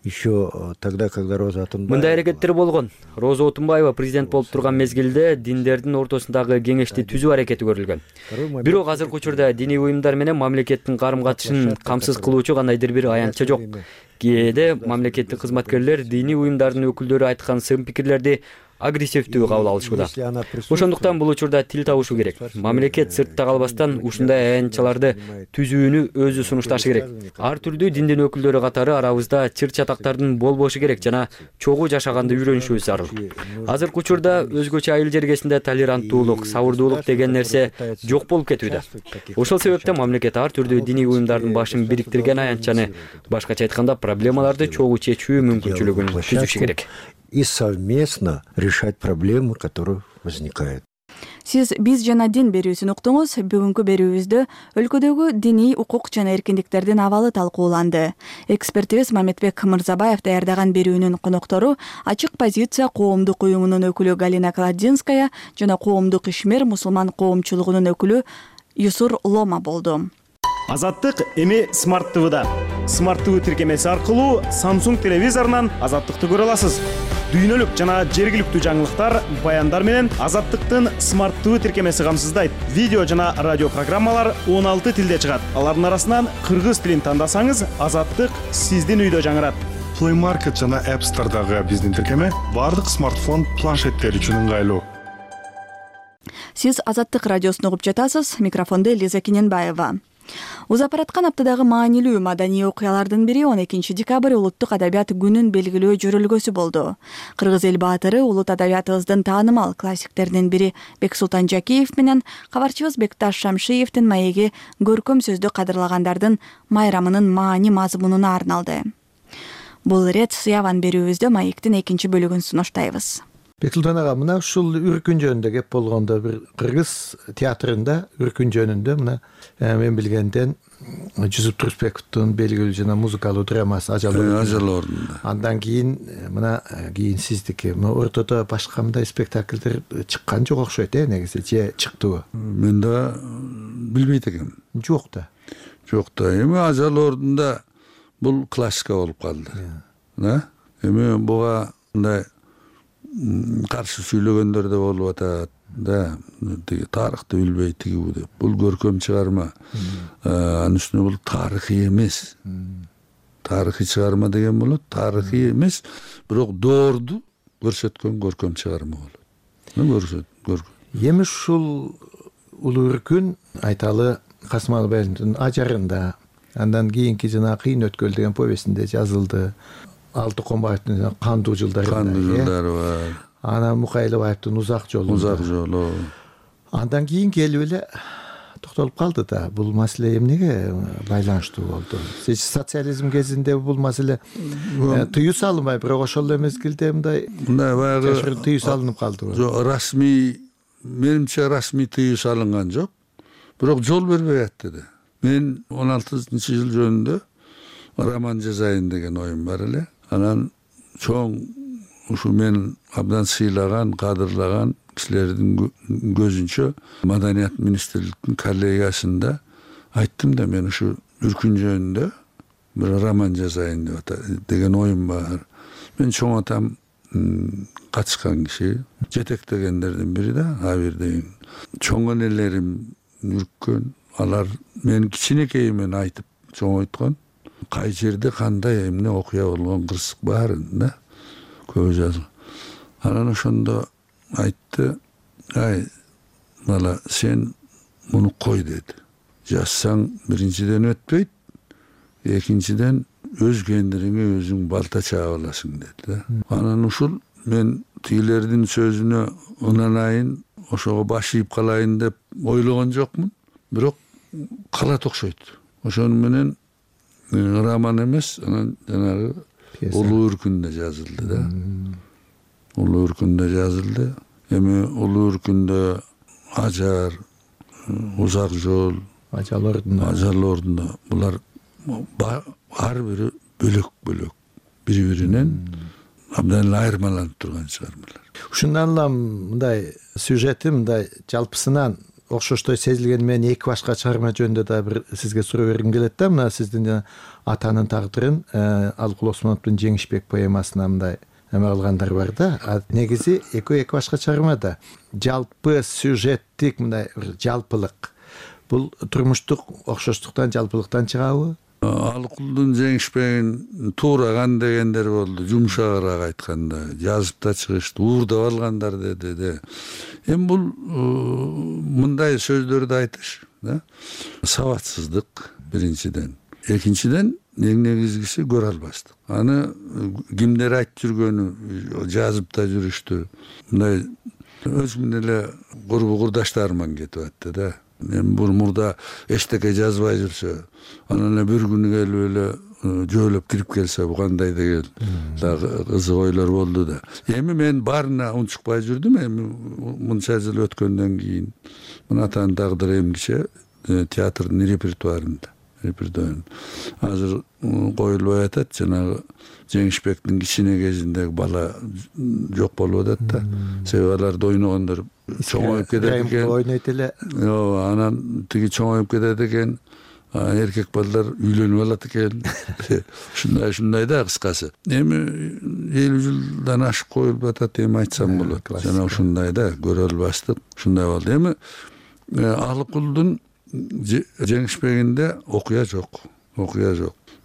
еще тогда, когда Роза Отунбаева... Мындай аракеттер болгон. Роза Отунбаева президент болуп турган мезгилде диндердин ортосундагы кеңешти түзүү аракети көрүлгөн. Бирок азыркы учурда диний уюмдар менен мамлекеттин карым-катышын камсыз кылуучу кандайдыр бир аянтча жок. Кээде мамлекеттик кызматкерлер диний уюмдардын өкүлдөрү айткан сын пикирлерди агрессивдүү кабыл алышууда. Ошондуктан бул учурда тил табышу керек. Мамлекет сыртта калбастан ушундай аянтчаларды түзүүнү өзү сунушташы керек. Ар түрдүү диндин өкүлдөрү катары арабызда чыр-чатактардын болбошу керек жана чогуу жашаганды үйрөнүшүбүз зарыл. Азыркы учурда өзгөчө айыл жергесинде толеранттуулук, сабырдуулук деген нерсе жок болуп кетүүдө. Ошол себептен мамлекет ар түрдүү диний уюмдардын башын бириктирген аянтчаны, башкача айтканда, проблемаларды чогуу чечүү мүмкүнчүлүгүн түзүшү керек. И совместно решать проблемы, которые возникают. Сиз биз жана дин берүүсүн уктуңуз. Бүгүнкү берүүбүздө өлкөдөгү диний укук жана эркиндиктердин абалы талкууланды. Экспертибиз Мамедбек Мырзабаев даярдаган берүүнүн коноктору Ачык позиция коомдук уюмунун өкүлү Галина Каладзинская жана коомдук ишмер мусулман коомчулугунун өкүлү Юсур Лома болду. Азаттык эми Smart TV'да. Smart TV тиркемеси аркылуу Samsung телевизорунан Азаттыкты көрө аласыз. Дүйнөлүк жана жергиликтүү жаңылыктар, баяндар менен Азаттыктын Smart TV тиркемеси камсыздайт. Видео жана радио программалар 16 тилде чыгат. Алардын арасынан кыргыз тилин тандасаңыз, Азаттык сиздин үйдө жаңырат. Play Market жана App Store'дагы биздин тиркеме бардык смартфон, планшеттер үчүн ыңгайлуу. Сиз Азаттык радиосун угуп жатасыз. Микрофондо Элиза Кененбаева. Узап бараткан аптадагы маанилүү маданий окуялардын бири 12 декабрь улуттук адабият күнүн белгилөө жөрөлгөсү болду. Кыргыз эл баатыры улут адабиятыбыздын таанымал классиктеринин бири Бексултан Жакиев менен кабарчыбыз Бекташ Шамшиевдин маеги көркөм сөздү кадырлагандардын майрамынын маани мазмунуна арналды. Бул ирет сыяван берүүбүздө маектин 2 бөлүгүн сунуштайбыз. Бексултан ага, мына ушул үркүн жөнүндө кеп болгондо бир кыргыз театрында үркүн жөнүндө мына мен билгенден Жусуп Турсбековдун белгилүү жана музыкалуу драмасы Ажал ордунда. Андан кийин мына кийин сиздики ортодо башка мындай спектакльдер чыккан жок окшойт, негизи же чыктыбы? Мен да билбейт экенмин. Жок да. Эми Ажал ордунда бул классика болуп калды. Эми буга мындай каршы сүйлөгөндөр да болуп атат. да, тиги тарыхты билбей тигибу деп. Бул көркөм чыгарма. Анын үстүнө бул тарыхый эмес. Тарыхый чыгарма деген болот, тарыхый эмес, бирок доорду көрсөткөн көркөм чыгарма болот. Эми ушул улуу үркүн айталы Касым Алыбаевдин ажарында, андан кийинки жана Кыйын өткөл деген повестинде жазылды. Алты Комбаевдин Кандуу жылдары бар. Анан Мукайлыбаевдин Узак жолу. Андан кийин келип эле токтолуп калды да. Бул маселе эмнеге байланыштуу болду? Социализм кезинде бул маселе тыюу салынбай, бирок ошол эле мезгилде мындай баягы тыюу салынып калдыбы? Жок, расмий, менимче расмий тыюу салынган жок. Бирок жол бербей атты да. Мен 16-жыл жөнүндө роман жазайын деген оюм бар эле. Анан чоң ушу мен абдан сыйлаган, кадырлаган кишилердин көзүнчө Маданият министрликтин коллегиясында айттым да, мен ушу үркүн жөнүндө бир роман жазайын деген оюм бар. Мен чоң атам катышкан киши, жетектегендердин бири да, абирдин. Чоң энелерим үрккөн, алар мен кичинекейимен айтып чоңойткон. Кай жерде кандай эмне окуя болгон кырсык баарын да көп жазган. Анан ошондо айтты, ай бала, сен муну кой деди. Жазсаң биринчиден өтпөйт, экинчиден өз кендириңе өзүң балта чаап аласың деди да. Анан ушул мен тигилердин сөзүнө ынанайын, ошого баш ийип калайын деп ойлогон жокмун, бирок калат окшойт. Ошону менен роман эмес, анан жанагы улуу үркүндө жазылды да. Улуу үркүндө жазылды. Эми улуу үркүндө ажар, узак жол, ажал ордуна булар ар бири бөлөк, бири-биринен абдан айырмаланып турган чыгармалар. Ушундан улам мындай сюжети мындай жалпысынан окшоштой сезилгени менен эки башка чыгарма жөнүндө да бир сизге суроо бергим келет да. Мына сиздин атанын тагдырын Алыкул Осмоновдун Жеңишбек поэмасына мындай эме кылгандар бар да. Негизи эки башка чыгарма да. Жалпы сюжеттик мындай жалпылык. Бул турмуштук окшоштуктан, жалпылыктан чыгабы? Алыкулдун Жеңишбегин туураган дегендер болду, жумшагыраак айтканда, жазып да чыгышты, уурдап алгандар деди. Эми бул мындай сөздөрдү айтыш, да? Сабатсыздык биринчиден. Экинчиден эң негизгиси көрө албастык. Аны кимдер айтып жүргөнү жазып да жүрүштү. Мындай өзүмдүн эле курдаштарыман кетип атты да. Мен бул мурда эчтеке жазбай жүрсө, анан эле бир күнү келип эле жөөлөп кирип келсе бу кандай деген дагы кызык ойлор болду да. Эми мен баарына унчукпай жүрдүм. Эми мынча жыл өткөндөн кийин мына атанын тагдыры эмгиче театрдын репертуарында. Азыр коюлбай атат, жанагы Жеңишбектин кичине кезиндеги бала жок болуп атат да. Себеби аларды ойногондор чоңоюп кетет экен. Ойнойт эле. Анан тиги чоңоюп кетет экен. Эркек балдар үйлөнүп алат экен. Ушундай да кыскасы. Эми 50 жылдан ашып коюлуп атат, эми айтсам болот. Жана ушундай да көрө албастык, ушундай болду. Эми Алыкулдун Жеңишбегинде окуя жок.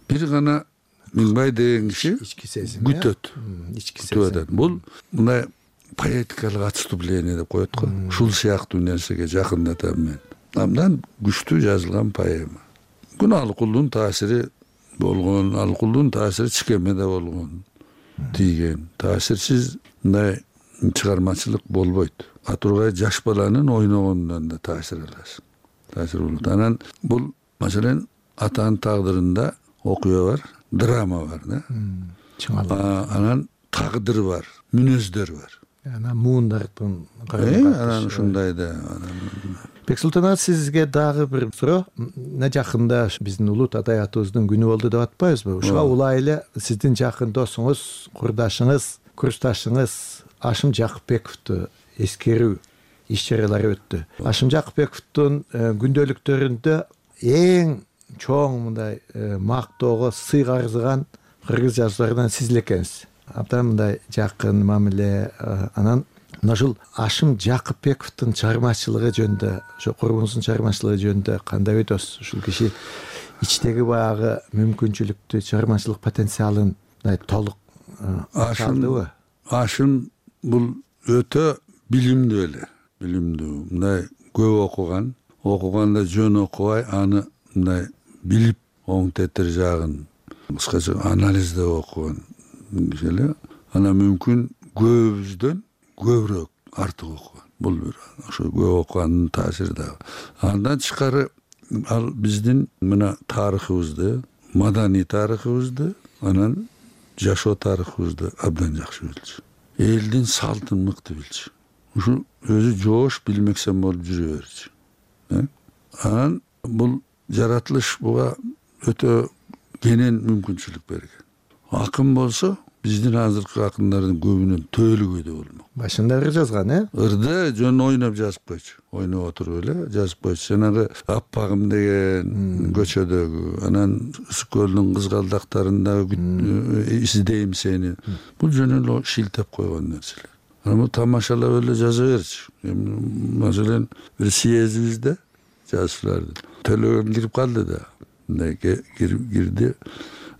Бир гана Миңбай деген киши күтөт. Бул мындай поэтикалык отступление деп коет го. Ушул сыяктуу нерсеге жакындатам мен. Абдан күчтүү жазылган поэма. Күн Алыкулдун таасири болгон, Алыкулдун таасири чикемеде болгон, тийген. Таасирсиз мындай чыгармачылык болбойт. Атургай жаш баланын ойногондон да таасир аласың. Таасир болот. Анан бул маселен атанын тагдырында окуя бар, драма бар да. Анан тагдыр бар, мүнөздөр бар. Анан муундардын анан ушундай да. Бексултан ага, сизге дагы бир суроо. Жакында биздин улут адабиятыбыздын күнү болду деп атпайбызбы? Ушуга улай эле сиздин жакын досуңуз, курдашыңыз, курсташыңыз Ашым Жакыпбековду эскерүү иш-чаралары өттү. Ашым Жакыпбековдун күндөлүктөрүндө эң чоң мындай мактоого сыйга арзыган кыргыз жазууларынан сиз эле экенсиз. Абдан мындай жакын мамиле. Анан мына ушул Ашым Жакыпбековдун чыгармачылыгы жөнүндө, ошо курбуңуздун чыгармачылыгы жөнүндө кандай ойдосуз? Ушул киши ичтеги баягы мүмкүнчүлүктү, чыгармачылык потенциалын толук ашындыбы? Ашым бул өтө билимдүү эле, мындай көп окуганда жөн окубай, аны мындай билип оң тетир жагын кыскача анализдеп окуган киши эле. Ана мүмкүн көбүбүздөн көбүрөөк артык окуган. Бул бир ошо көп окугандын таасири да. Андан тышкары ал биздин мына тарыхыбызды, маданий тарыхыбызды, анан жашоо тарыхыбызды абдан жакшы билчү. Элдин салтын мыкты билчү. Ушу өзү жоош билмексен болуп жүрө берчү. Анан бул жаратылыш буга өтө кенен мүмкүнчүлүк берген. Акын болсо биздин азыркы акындардын көбүнөн төөлүгөйдө болмок. Башында ыр жазган, Ырды жөн ойноп жазып койчу. Ойноп отуруп эле жазып койчу. Жанагы Аппагым деген көчөдөгү, анан Үсүк көлүнүн кызгалдактарындагы издейм сени. Бул жөн эле шилтеп койгон нерселер. Анан тамашалап эле жаза берчү. Маселен, бир съездибизде жазууларды Төлөгөн кирип калды да. Мындай кирди.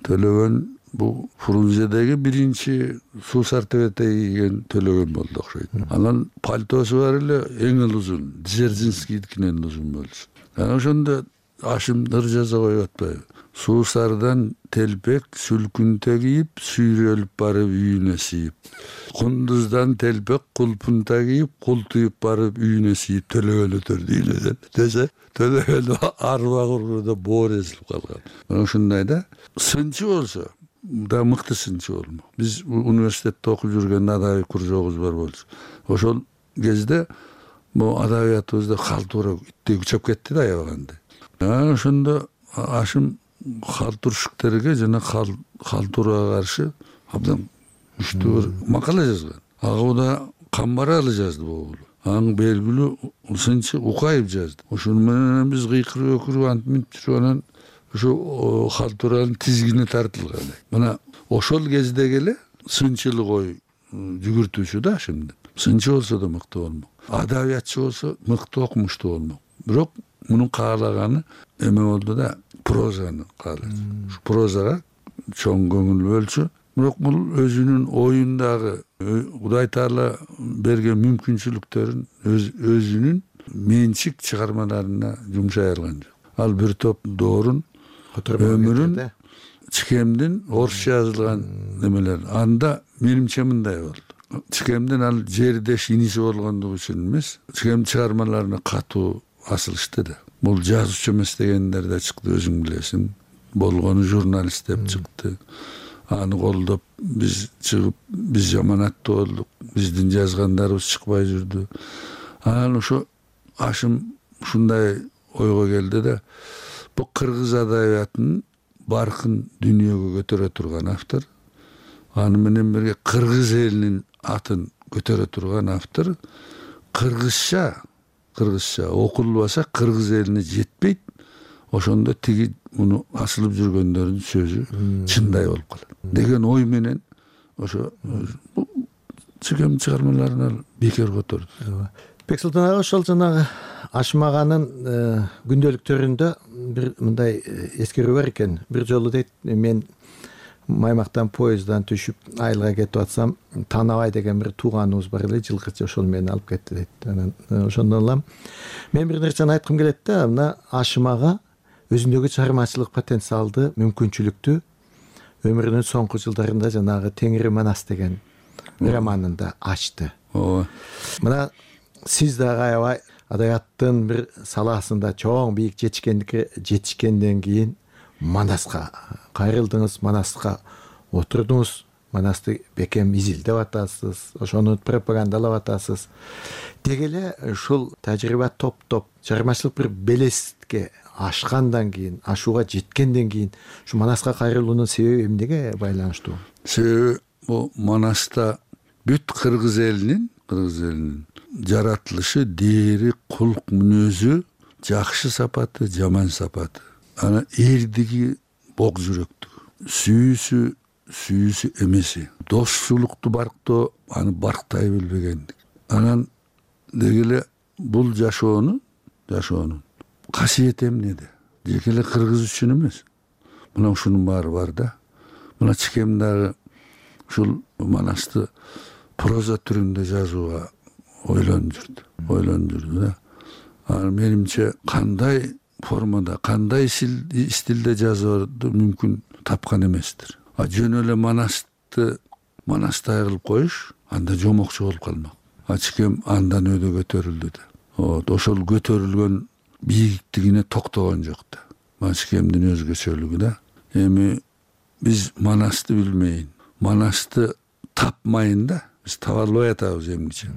Төлөгөн бул Фрунзедеги биринчи суусар тебете кийген Төлөгөн болду окшойт. Анан пальтосу бар эле эң эле узун, Дзержинскийдикинен узун болчу. Анан ошондо Ашым ыр жаза коюп атпайбы? Суусардан телпек сүлкүнтө кийип, сүйрөлүп барып үйүнө сийип. Кундуздан телпек кулпунта кийип, култуюп барып үйүнө сийип, Төлөгөн өтөрдү үйүнө десе, Төлөгөн арба кургуда боор эзилип калган. Мына ушундай да. Сынчы болсо да мыкты сынчы болмок. Биз университетте окуп жүргөндө адабий кружогубуз бар болчу. Ошол кезде бул адабиятыбызда калтуура иттей күчөп кетти да аябаганда. Ошондо Ашым калтуршуктерге жана калтурага каршы абдан күчтүү бир макала жазган. Агыбыда Камбаралы жазды бул. Аң белгилүү сынчы Укаев жазды. Ошону менен биз кыйкырып өкүрүп антип жүрүп анан ошо калтуранын тизгини тартылган. Мына ошол кездеги эле сынчылык ой жүгүртүүчү да Ашымдын. Сынчы болсо да мыкты болмок. Адабиятчы болсо мыкты окумуштуу болмок. Бирок мунун каалаганы эме болду да, прозаны каалады. Прозага чоң көңүл бөлчү. Бирок бул өзүнүн оюндагы Кудай Таала берген мүмкүнчүлүктөрүн өзүнүн менчик чыгармаларына жумшай алган жок. Ал бир топ доорун, өмүрүн, Чикемдин орусча жазылган немелер. Анда менимче мындай болду. Чикемдин ал жердеш иниси болгондугу үчүн эмес, Чикем чыгармаларына катуу асылышты да. Бул жазуучу эмес дегендер да чыкты, өзүң билесиң. Болгону журналист деп чыкты. Аны колдоп биз чыгып, биз жаманаттуу болдук. Биздин жазгандарыбыз чыкпай жүрдү. Анан ошо Ашым ушундай ойго келди да, бул кыргыз адабиятынын баркын дүйнөгө көтөрө турган автор, аны менен бирге кыргыз элинин атын көтөрө турган автор, кыргызча окулбаса кыргыз элине жетпейт. Ошондо тиги муну асылып жүргөндөрдүн сөзү чындай болуп калат деген ой менен ошо Чикем чыгармаларын бекер которду. Бексултан ага ошол жанагы Ашым аганын күндөлүктөрүндө бир мындай эскерүү бар экен. Бир жолу дейт, мен Маймактан поезддан түшүп айылга кетип атсам, Танабай деген бир тууганыбыз бар эле, жылкычы, ошол мени алып кетти дейт. Анан ошондон улам мен бир нерсени айткым келет да, мына Ашым ага өзүндөгү чыгармачылык потенциалды, мүмкүнчүлүктү өмүрүнүн соңку жылдарында жанагы Теңири Манас деген романында ачты. Мына сиз дагы аябай адабияттын бир салаасында чоң бийик жетишкенден кийин Манаска кайрылдыңыз, Манаска отурдуңуз, Манасты бекем изилдеп атасыз, ошону пропагандалап атасыз. Деги эле ушул тажрыйба топтоп чыгармачылык бир белеске ашкандан кийин, ашууга жеткенден кийин ушу Манаска кайрылуунун себеби эмнеге байланыштуу? Себеби бул Манаста бүт кыргыз элинин жаратылышы, дээри, кулк мүнөзү, жакшы сапаты, жаман сапаты. Ана эрдиги бок жүрөктүгү, сүйүүсү эмеси, досчулукту барктоо аны барктай билбегендик. Анан деги эле бул жашоонун касиети эмнеде? Жеке эле кыргыз үчүн эмес. Мына ушунун баары бар да. Мына чикем дагы ушул Манасты проза түрүндө жазууга ойлонуп жүрдү да. Менимче кандай формада, кандай стилде жазууду мүмкүн тапкан эместир. Жөн эле Манастай кылып коюш анда жомокчу болуп калмак. Чикем андан өдө көтөрүлдү да. Ошол көтөрүлгөн бийиктигине токтогон жок да. Чикемдин өзгөчөлүгү да. Эми биз Манасты билмейин, Манасты тапмайын да. Биз таба албай атабыз эмгиче.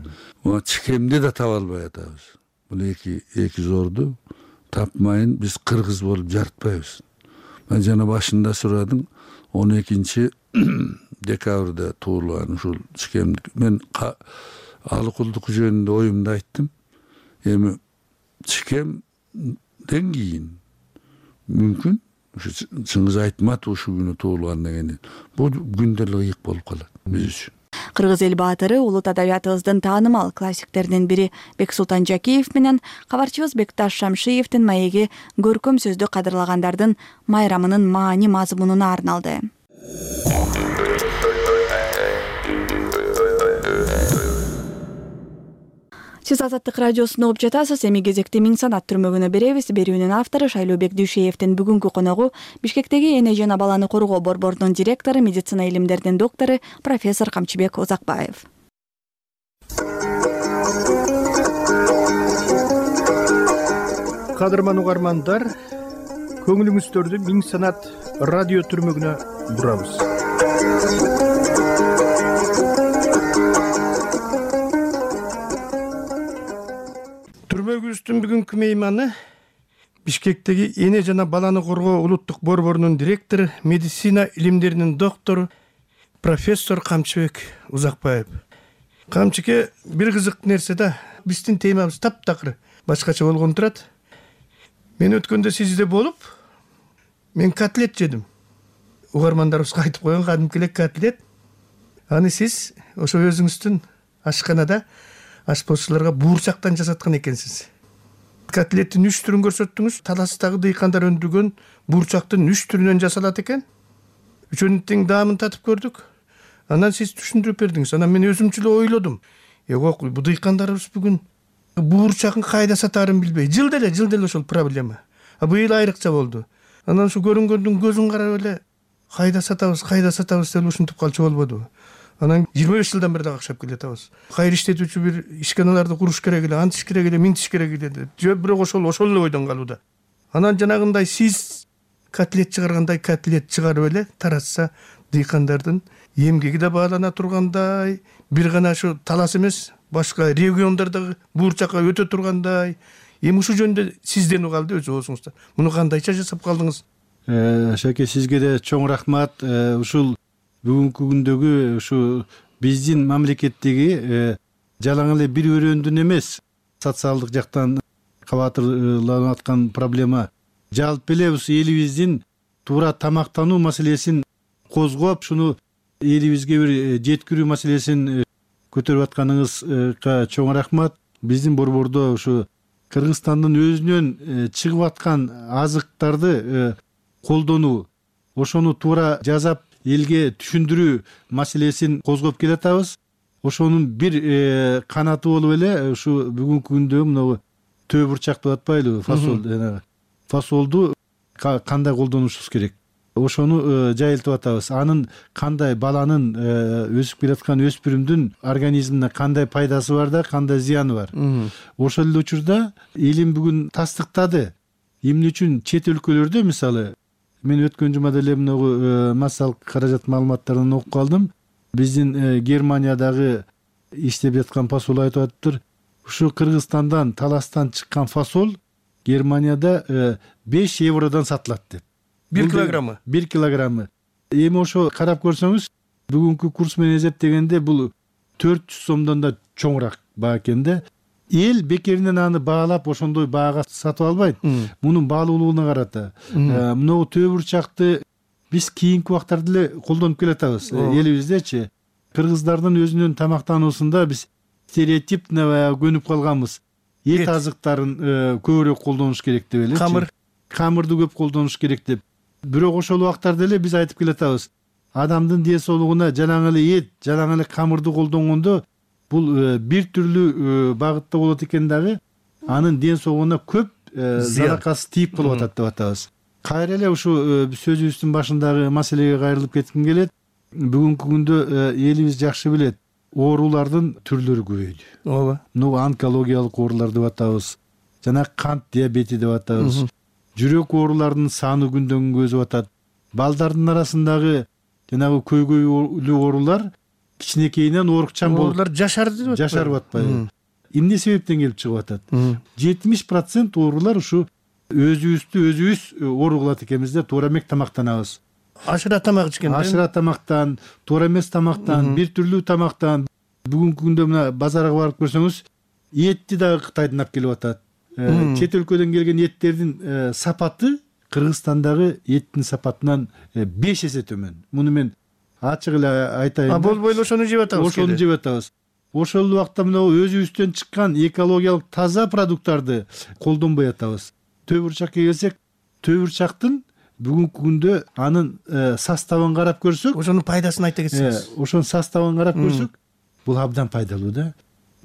Чикемди да таба албай атабыз. Бул эки зорду тапмайын биз кыргыз болуп жарытпайбыз. Мен жана башында сурадым, 12 декабрда туулган ушул чикемди. Мен Алыкулдук жөнүндө оюмду айттым. Эми чикемден кийин мүмкүн ушу Чыңгыз Айтматов ушул күнү туулган деген бул күндө эле ыйык болуп калат биз үчүн. Кыргыз эл баатыры улут адабиятыбыздын таанымал классиктеринин бири Бексултан Жакиев менен кабарчыбыз Бекташ Шамшиевдин маеги көркөм сөздү кадырлагандардын майрамынын маани мазмунуна арналды. Сиз Азаттык радиосун угуп жатасыз. Эми кезекте Миң санат түрмөгүнө беребиз. Берүүнүн автору Шайлообек Дүйшеевдин бүгүнкү коногу Бишкектеги эне жана баланы коргоо борборунун директору, медицина илимдеринин доктору профессор Камчыбек Узакбаев. Кадырман угармандар, көңүлүңүздөрдү Миң санат радио түрмөгүнө бурабыз. Түрмөгүбүздүн бүгүнкү мейманы Бишкектеги эне жана баланы коргоо улуттук борборунун директору, медицина илимдеринин доктору профессор Камчыбек Узакбаев. Камчыке, бир кызык нерсе да, биздин темабыз таптакыр башкача болгон турат. Мен өткөндө сизде болуп, мен котлет жедим. Угармандарыбызга айтып койгон кадимки эле котлет. Аны сиз ошо өзүңүздүн ашканада ашпозчуларга буурчактан жасаткан экенсиз. Котлеттин 3 түрүн көрсөттүңүз. Таластагы дыйкандар өндүргөн буурчактын 3 түрүнөн жасалат экен. Үчөөнүн тең даамын татып көрдүк. Анан сиз түшүндүрүп бердиңиз. Анан мен өзүмчө эле ойлодум. Бу дыйкандарыбыз бүгүн буурчагын кайда сатаарын билбей, жылда эле ошол проблема. Быйыл айрыкча болду. Анан ушу көрүнгөндүн көзүн карап эле кайда сатабыз деп ушинтип калчу болбодубу? Анан 25 жылдан бери дагы акчап келатабыз. Кайыр иштетүүчү бир ишканаларды куруш керек эле, антиш керек эле, минтиш керек эле деп. Бирок ошол эле ойдон калууда. Анан жанагындай сиз котлет чыгаргандай котлет чыгарып эле таратса, дыйкандардын эмгеги да баалана тургандай, бир гана ушу талас эмес, башка региондордогу буурчакка өтө тургандай. Эми ушул жөнүндө сизден угалды өз оозуңузда. Муну кандайча жасап калдыңыз? Шаке, сизге да чоң рахмат. Ушул бүгүнкү күндөгү ушу биздин мамлекеттеги жалаң эле бир өрөөндүн эмес, социалдык жактан кабатырланып аткан проблема. Жалпы эле элибиздин туура тамактануу маселесин козгоп, шуну элибизге бир жеткирүү маселесин көтөрүп атканыңызга чоң рахмат. Биздин борбордо ушу Кыргызстандын өзүнөн чыгып аткан азыктарды колдонуу, ошону туура жасап элге түшүндүрүү маселесин козгоп келатабыз. Ошонун бир канаты болуп эле ушу бүгүнкү күндө мына төө бурчак деп атпайлыбы, фасол, фасолду кандай колдонушубуз керек, ошону жайылтып атабыз. Анын кандай баланын өсүп келаткан өспүрүмдүн организмине кандай пайдасы бар да, кандай зыяны бар. Ошол эле учурда илим бүгүн тастыктады. Эмне үчүн чет өлкөлөрдө, мисалы, мен өткөн жумада эле мына массалык каражат маалыматтарын окуп калдым. Биздин Германиядагы иштеп жаткан фасол айтып атыптыр. Ушу Кыргызстандан, таластан чыккан фасол Германияда 5 евродон сатылат деп. 1 килограммы. 1 килограммы. Эми ошо карап көрсөңүз, бүгүнкү курс менен эсептегенде бул 400 сомдон да чоңураак баа экен да. Эл бекеринен аны баалап ошондой баага сатып албайт. Мунун баалуулугуна карата. Мына төө бурчакты биз кийинки убактарда эле колдонуп келатабыз элибиздечи. Кыргыздардын өзүнүн тамактануусунда биз стереотипно баягы көнүп калганбыз. Эт азыктарын көбүрөөк колдонуш керек деп элечи. Камырды көп колдонуш керек деп. Бирок ошол убактарда эле биз айтып келатабыз. Адамдын ден соолугуна жалаң эле эт, жалаң эле камырды колдонгондо бул бир түрлүү багытта болот экен дагы анын ден соолугуна көп заракасы тийип калып атат деп атабыз. Кайра эле ушу сөзүбүздүн башындагы маселеге кайрылып кетким келет. Бүгүнкү күндө элибиз жакшы билет, оорулардын түрлөрү көбөйдү. Ооба. Онкологиялык оорулар деп атабыз. Жана кант диабети деп атабыз. Жүрөк ооруларынын саны күндөн күнгө өсүп атат. Балдардын арасындагы жанагы көйгөйлүү оорулар кичинекейинен оорукчан болуп оорулар жашарды деп жашарып атпайбы? Эмне себептен келип чыгып атат? 70% оорулар ушу өзүбүз ооруп калат экенбиз да, туура эмес тамактанабыз. Ашыра тамак ичкен. Ашыра тамактан, туура эмес тамактан, бир түрлүү тамактан. Бүгүнкү күндө мына базарга барып көрсөңүз, этти дагы Кытайдан алып келип атат. Чет өлкөдөн келген эттердин сапаты Кыргызстандагы эттин сапатынан 5 эсе төмөн. Муну мен ачык эле айтайын. Болбой эле ошону жеп атабыз. Ошону жеп атабыз. Ошол убакта мына өзүбүздөн чыккан экологиялык таза продукттарды колдонбой атабыз. Төбүрчакка келсек, төбүрчактын бүгүнкү күндө анын составын карап көрсөк, ошонун пайдасын айта кетсеңиз. Ошонун составын карап көрсөк, бул абдан пайдалуу да.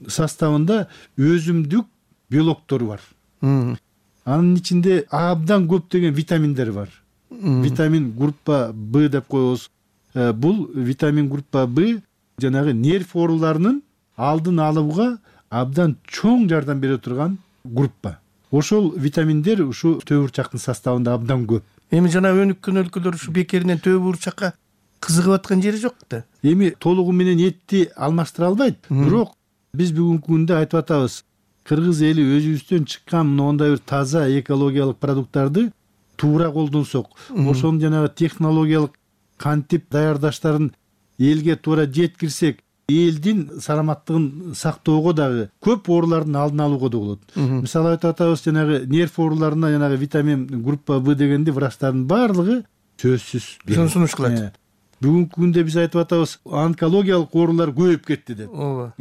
Составында өзүмдүк белоктор бар. Анын ичинде абдан көптөгөн витаминдер бар. Витамин группа Б деп коебуз. Бул витамин группа Б жанагы нерв ооруларынын алдын алууга абдан чоң жардам бере турган группа. Ошол витаминдер ушу төбүрчактын составында абдан көп. Эми жана өнүккөн өлкөлөр ушу бекеринен төбүрчакка кызыгып аткан жери жок да. Эми толугу менен этти алмаштыра албайт. Бирок биз бүгүнкү күндө айтып атабыз. Кыргыз эли өзүбүздөн чыккан мындай бир таза экологиялык продукттарды туура колдонсок, ошонун жанагы технологиялык кантип даярдаштарын элге туура жеткирсек, элдин саламаттыгын сактоого дагы көп оорулардын алдын алууга да болот. Мисалы айтып атабыз, жанагы нерв ооруларына жанагы витамин группа Б дегенди врачтардын баардыгы сөзсүз сунуш кылат. Бүгүнкү күндө биз айтып атабыз, онкологиялык оорулар көбөйүп кетти деп. Ооба.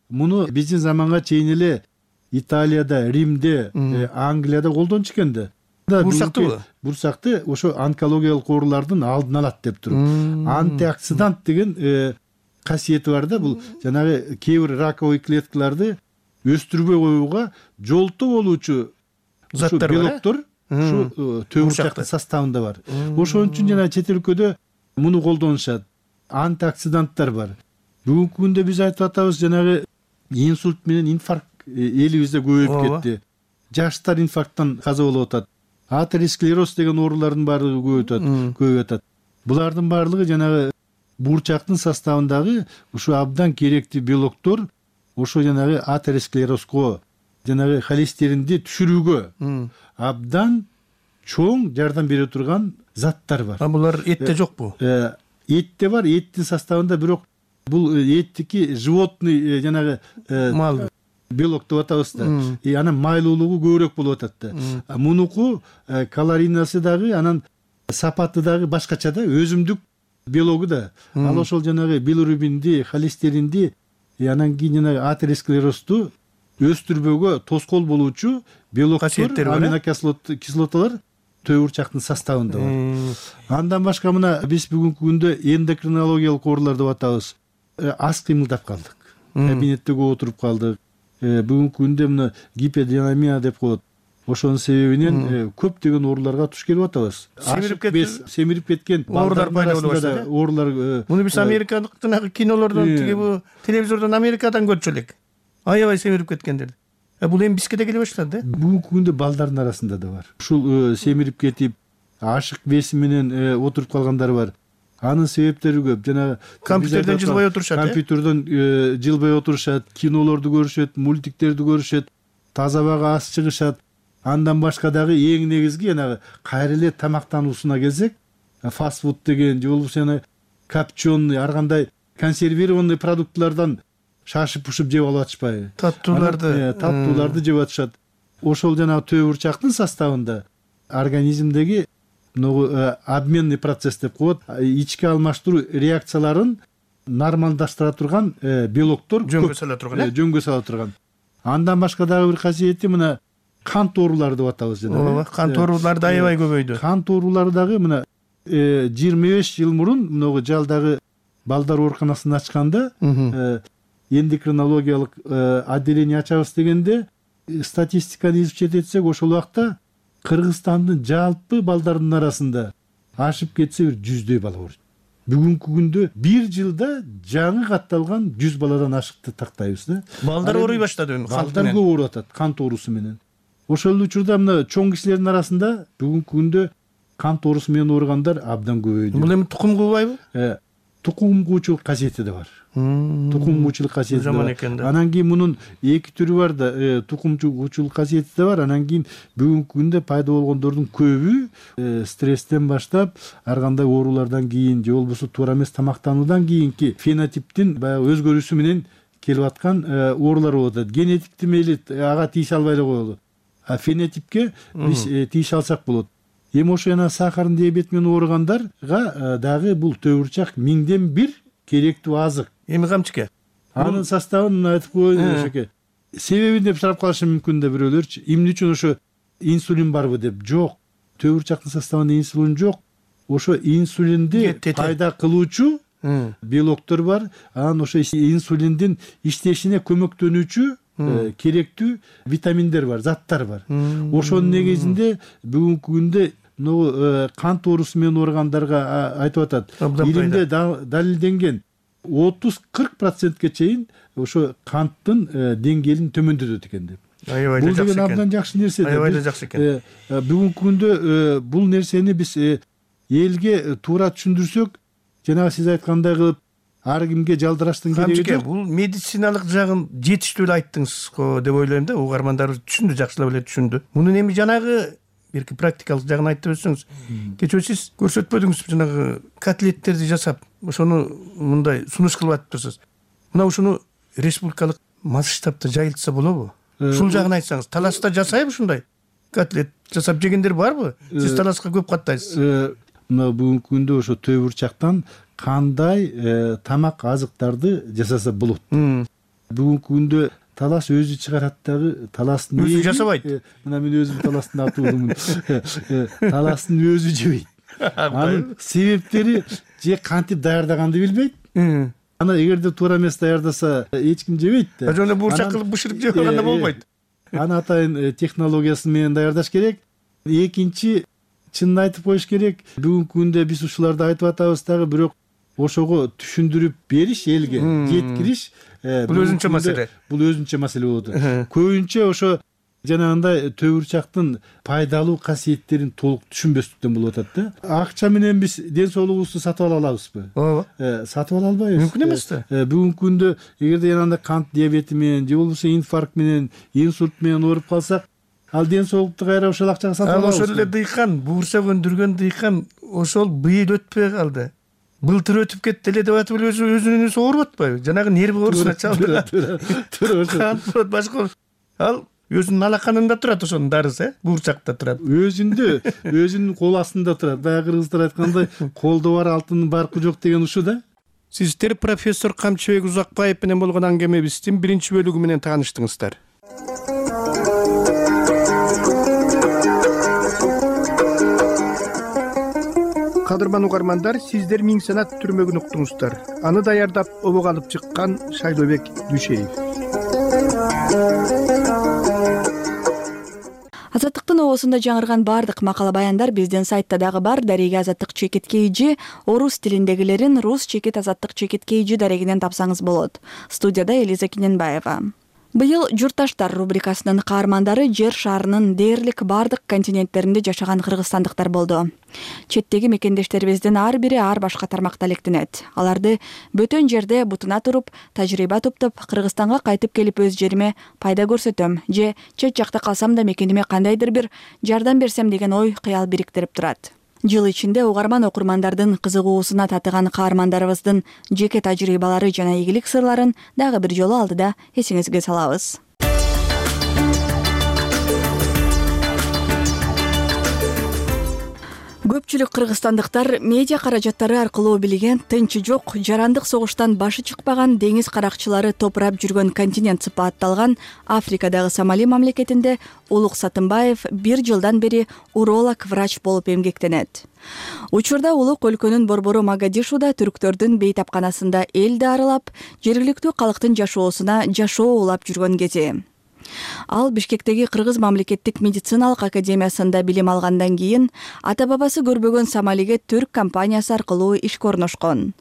Муну биздин заманга чейин эле Италияда, Римде, Англияда колдончу экен да. Бурсактыбы? Бурсакты ошо онкологиялык оорулардын алдын алат деп туруп. Антиоксидант деген касиети бар да, бул жанагы кээ бир раковый клеткаларды өстүрбөй коюуга жолтоо болуучу заттар белоктор ушу төбүрчактын составында бар. Ошон үчүн жана чет өлкөдө муну колдонушат. Антиоксиданттар бар. Бүгүнкү күндө биз айтып атабыз, жанагы инсульт менен инфаркт элибизде көбөйүп кетти. Жаштар инфаркттан каза болуп атат. Атеросклероз деген оорулардын баардыгы көбөйүп атат. Булардын баардыгы жанагы буурчактын составындагы ушу абдан керектүү белоктор ошо жанагы атеросклерозго, жанагы холестеринди түшүрүүгө абдан чоң жардам бере турган заттар бар. Булар этте жокпу? Этте бар, эттин составында, бирок бул эттики животный жанагы мал белок деп атабыз да. Анан майлуулугу көбүрөөк болуп атат да. Мунуку калорийнасы дагы, анан сапаты дагы башкача да, өзүмдүк белогу да. Ал ошол жанагы билирубинди, холестеринди, анан кийин жанагы атеросклерозду өстүрбөөгө тоскоол болуучу белоктор, аминокислоталар төбүрчактын составында бар. Андан башка мына биз бүгүнкү күндө эндокринологиялык оорулар деп атабыз. Аз кыймылдап калдык. Кабинетте көп отуруп калдык. Бүгүнкү күндө мына гиподинамия деп коет. Ошонун себебинен көптөгөн ооруларга туш келип атабыз. Семирип кеткен оорулар пайда болуп баштады. Оорулар. Муну биз америкалык жанагы кинолордон, тиги бу телевизордон Америкадан көрчү элек. Аябай семирип кеткендер. Бул эми бизге да келе баштады да. Бүгүнкү күндө балдардын арасында да бар. Ушул семирип кетип, ашык беси менен отуруп калгандар бар. Анын себептери көп. Жанагы компьютерден жылбай отурушат. Компьютерден жылбай отурушат, кинолорду көрүшөт, мультиктерди көрүшөт, таза абага аз чыгышат. Андан башка дагы эң негизги жанагы кайра эле тамактануусуна келсек, фастфуд деген же болбосо копченый, ар кандай консервированный продуктлардан шашып-пушуп жеп алып атышпайбы? Таттууларды жеп атышат. Ошол жанагы төбүрчактын составында организмдеги обменный процесс деп коет, ички алмаштыруу реакцияларын нормалдаштыра турган белоктор жөнгө сала турган жөнгө сала турган. Андан башка дагы бир касиети мына кант оорулары деп атабыз жана. Ооба, кант оорулары да аябай көбөйдү. Кант оорулары дагы мына 25 жыл мурун могу жалдагы балдар ооруканасын ачканда эндокринологиялык отделение ачабыз дегенде статистиканы изучать этсек ошол убакта Кыргызстандын жалпы балдардын арасында ашып кетсе бир 100дөй бала бар. Бүгүнкү күндө бир жылда жаңы катталган 100 баладан ашыкты тактайбыз да. Балдар ооруй баштады. Балдар көп ооруп атат кант оорусу менен. Ошол учурда мына чоң кишилердин арасында бүгүнкү күндө кант оорусу менен ооругандар абдан көбөйдү. Бул эми тукум куубайбы? Тукум куучулук касиети да бар. Тукум куучулук касиети да бар. Экен. Анан кийин мунун эки түрү бар да, тукум куучулук касиети да бар. Анан кийин бүгүнкү күндө пайда болгондордун көбү стресстен баштап, ар кандай оорулардан кийин же болбосо туура эмес тамактануудан кийинки фенотиптин баягы өзгөрүүсү менен келип аткан оорулар болуп атат. Генетикти мейли ага тийише албай эле коелу. А фенотипке биз тийише алсак болот. Эми ошо жана сахардын диабети менен ооругандарга дагы бул төбүрчак 1000ден 1 керектүү азык. Эми камчыке? Анын составын айтып коеюн ошоке. Себебин деп сурап калышы мүмкүн да бирөөлөрчү. Эмне үчүн ошо инсулин барбы деп? Жок. Төбүрчактын составында инсулин жок. Ошо инсулинди пайда кылуучу белоктор бар. Анан ошо инсулиндин иштешине көмөктөнүүчү керектүү витаминдер бар, заттар бар. Ошонун негизинде бүгүнкү күндө кант оорусу менен ооругандарга айтып атат. Илимде далилденген 30-40%ке чейин ошо канттын деңгээлин төмөндөтөт экен деп. Бул деген абдан жакшы нерсе. Аябай эле жакшы экен. Бүгүнкү күндө бул нерсени биз элге туура түшүндүрсөк, жанагы сиз айткандай кылып ар кимге жалдыраштын кереги жок. Бул медициналык жагын жетиштүү эле айттыңыз го деп ойлойм да. Угармандарыбыз түшүндү, жакшылап эле түшүндү. Мунун эми жанагы бирки практикалык жагын айтып өтсөңүз. Кечээ сиз көрсөтпөдүңүз жанагы котлеттерди жасап, ошону мындай сунуш кылып атыптырсыз. Мына ушуну республикалык масштабта жайылтса болобу? Ушул жагын айтсаңыз. Таласта жасайбы ушундай? Котлет жасап жегендер барбы? Сиз Таласка көп каттайсыз. Мына бүгүнкү күндө ошо төбүрчактан кандай тамак азыктарды жасаса болот. Бүгүнкү күндө Талас өзү чыгарат дагы. Таластын өзү жасабайт. Мына мен өзүм Таластын аты болдумун. Таластын өзү жебейт. Анын себептери же кантип даярдаганды билбейт. Ана эгерде туура эмес даярдаса эч ким жебейт да. Жана буурчак кылып бышырып жеп алганда болбойт. Аны атайын технологиясы менен даярдаш керек. Экинчи, чынын айтып коюш керек, бүгүнкү күндө биз ушуларды айтып атабыз дагы, бирок ошого түшүндүрүп бериш, элге жеткириш бул өзүнчө маселе. Бул өзүнчө маселе болот. Көбүнчө ошо жанагындай төбүрчактын пайдалуу касиеттерин толук түшүнбөстүктөн болуп атат да. Акча менен биз ден соолугубузду сатып ала алабызбы? Ооба. Сатып ала албайбыз. Мүмкүн эмес да. Бүгүнкү күндө эгерде жанагындай кант диабети менен же болбосо инфаркт менен, инсульт менен ооруп калсак, ал ден соолукту кайра ошол акчага сатып алабыз. Ошол эле дыйкан, буурчак өндүргөн дыйкан ошол быйыл өтпөй калды. Былтыр өтүп кетти эле деп атып өзүнүн өзү ооруп атпайбы? Жанагы нерв оорусуна чалдырат. Туура башка. Ал өзүнүн алаканында турат ошонун дарысы, буурчакта турат. Өзүнүн кол астында турат. Баягы кыргыздар айткандай, колдо бар алтындын баркы жок деген ушу да. Сиздер профессор Камчыбек Узакбаев менен болгон аңгемебиздин биринчи бөлүгү менен тааныштыңыздар. Кадырман угармандар, сиздер Миң санат түрмөгүн уктуңуздар. Аны даярдап обого алып чыккан Шайлообек Дүйшеев. Азаттыктын обосунда жаңырган бардык макала баяндар биздин сайтта дагы бар. Дареги Азаттык чекит KG орус тилиндегилерин рус чекит Азаттык чекит KG дарегинен тапсаңыз болот. Студияда Элиза Киненбаева. Быйыл журтташтар рубрикасынын каармандары жер шарынын дээрлик бардык континенттеринде жашаган кыргызстандыктар болду. Четтеги мекендештерибиздин ар бири ар башка тармакта электенет. Аларды бөтөн жерде бутуна туруп, тажрыйба топтоп, Кыргызстанга кайтып келип өз жериме пайда көрсөтөм же чет жакта калсам да мекениме кандайдыр бир жардам берсем деген ой кыял бириктирип турат. Жыл ичинде угарман окурмандардын кызыгуусуна татыган каармандарыбыздын жеке тажрыйбалары жана ийгилик сырларын дагы бир жолу алдыда эсиңизге салабыз. Көпчүлүк кыргызстандыктар медиа каражаттары аркылуу билген тынчы жок, жарандык согуштан башы чыкпаган деңиз каракчылары топурап жүргөн континент сыпатталган Африкадагы Сомали мамлекетинде Улук Сатымбаев 1 жылдан бери уролог врач болуп эмгектенет. Учурда Улук өлкөнүн борбору Могадишуда түрктөрдүн бейтапканасында элди аралап, жергиликтүү калктын жашоосуна жашоо улап жүргөн кези. Ал Бишкектеги Кыргыз мамлекеттик медициналык академиясында билим алгандан кийин ата-бабасы көрбөгөн Сомалиге түрк компаниясы аркылуу ишке орношкон.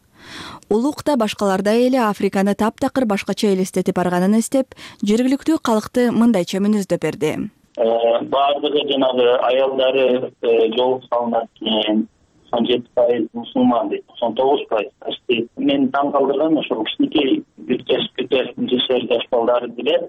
Улук да башкалардай эле Африканы таптакыр башкача элестетип барганын эстеп, жергиликтүү калкты мындайча мүнөздөп берди. Баардыгы жанагы аялдары жол салынат экен. 17% мусулман дейт, 99%. Мен таң калтырган ошол кичинекей 1 жаш балдары деле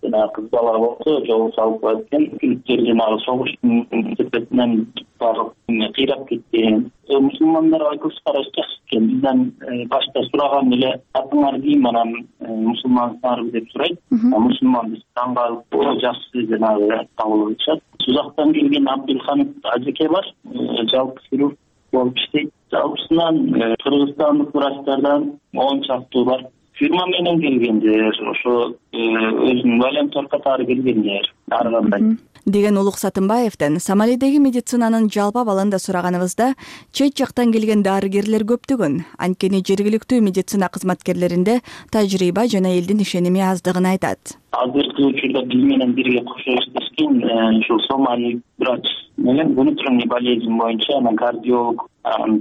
кыз бала болсо жол салып коет экен. Күлүктөр жанагы согуштун сепетинен багып кыйрап кеткен. Мусулмандарга көз караш жакшы экен. Бизден башта сураган эле атыңар ким, анан мусулмансыңарбы деп сурайт. Мусулман биз таң калып жакшы жанагы кабыл кылышат. Сузактан келген Абдулхан ажеке бар, жалпы хирург болуп иштейт. Жалпысынан кыргызстандык врачтардан 10 чактуу бар. Фирма менен келгендер, ошо өзүнүн волонтер катары келгендер, ар кандай. Деген Улук Сатымбаевден Сомалидеги медицинанын жалпы абалын да сураганыбызда, чет жактан келген дарыгерлер көптүгүн, анткени жергиликтүү медицина кызматкерлеринде тажрыйба жана элдин ишеними аздыгын айтат. Азыркы учурда биз менен бирге кошо иштешкен ушул Сомали врач менен внутренний болезнь боюнча кардиолог,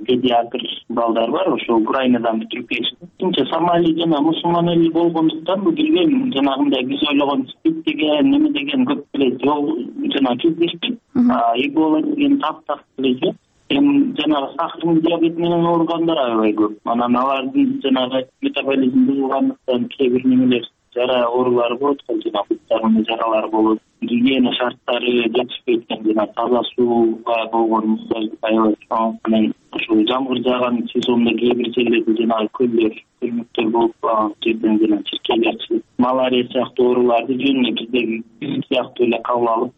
педиатр балдар бар, ошо Украинадан бүтүрүп келишти. Тинче Сомали жана мусулман эл болгондуктан бул билбейм, жанагындай биз ойлогон спид деген, неме деген көп эле жол жана кездешпейт. Эбола деген таптак эле жок. Жанагы сахарный диабет менен ооругандар аябай көп. Анан алардын жанагы метаболизм бузулгандыктан кээ бир немелер жара оорулары болот, жана буттарында жаралар болот. Гигиена шарттары жетишпейт экен, жана таза сууга болгон муктаждык аябай чоң. Анан ушул жамгыр жааган сезондо кээ бир жерлерде жанагы көлдөр, көлмөктөр болуп калган жерден жана чиркейлер чыгып, малария сыяктуу ооруларды жөнүнө биздеги сыяктуу эле кабыл алып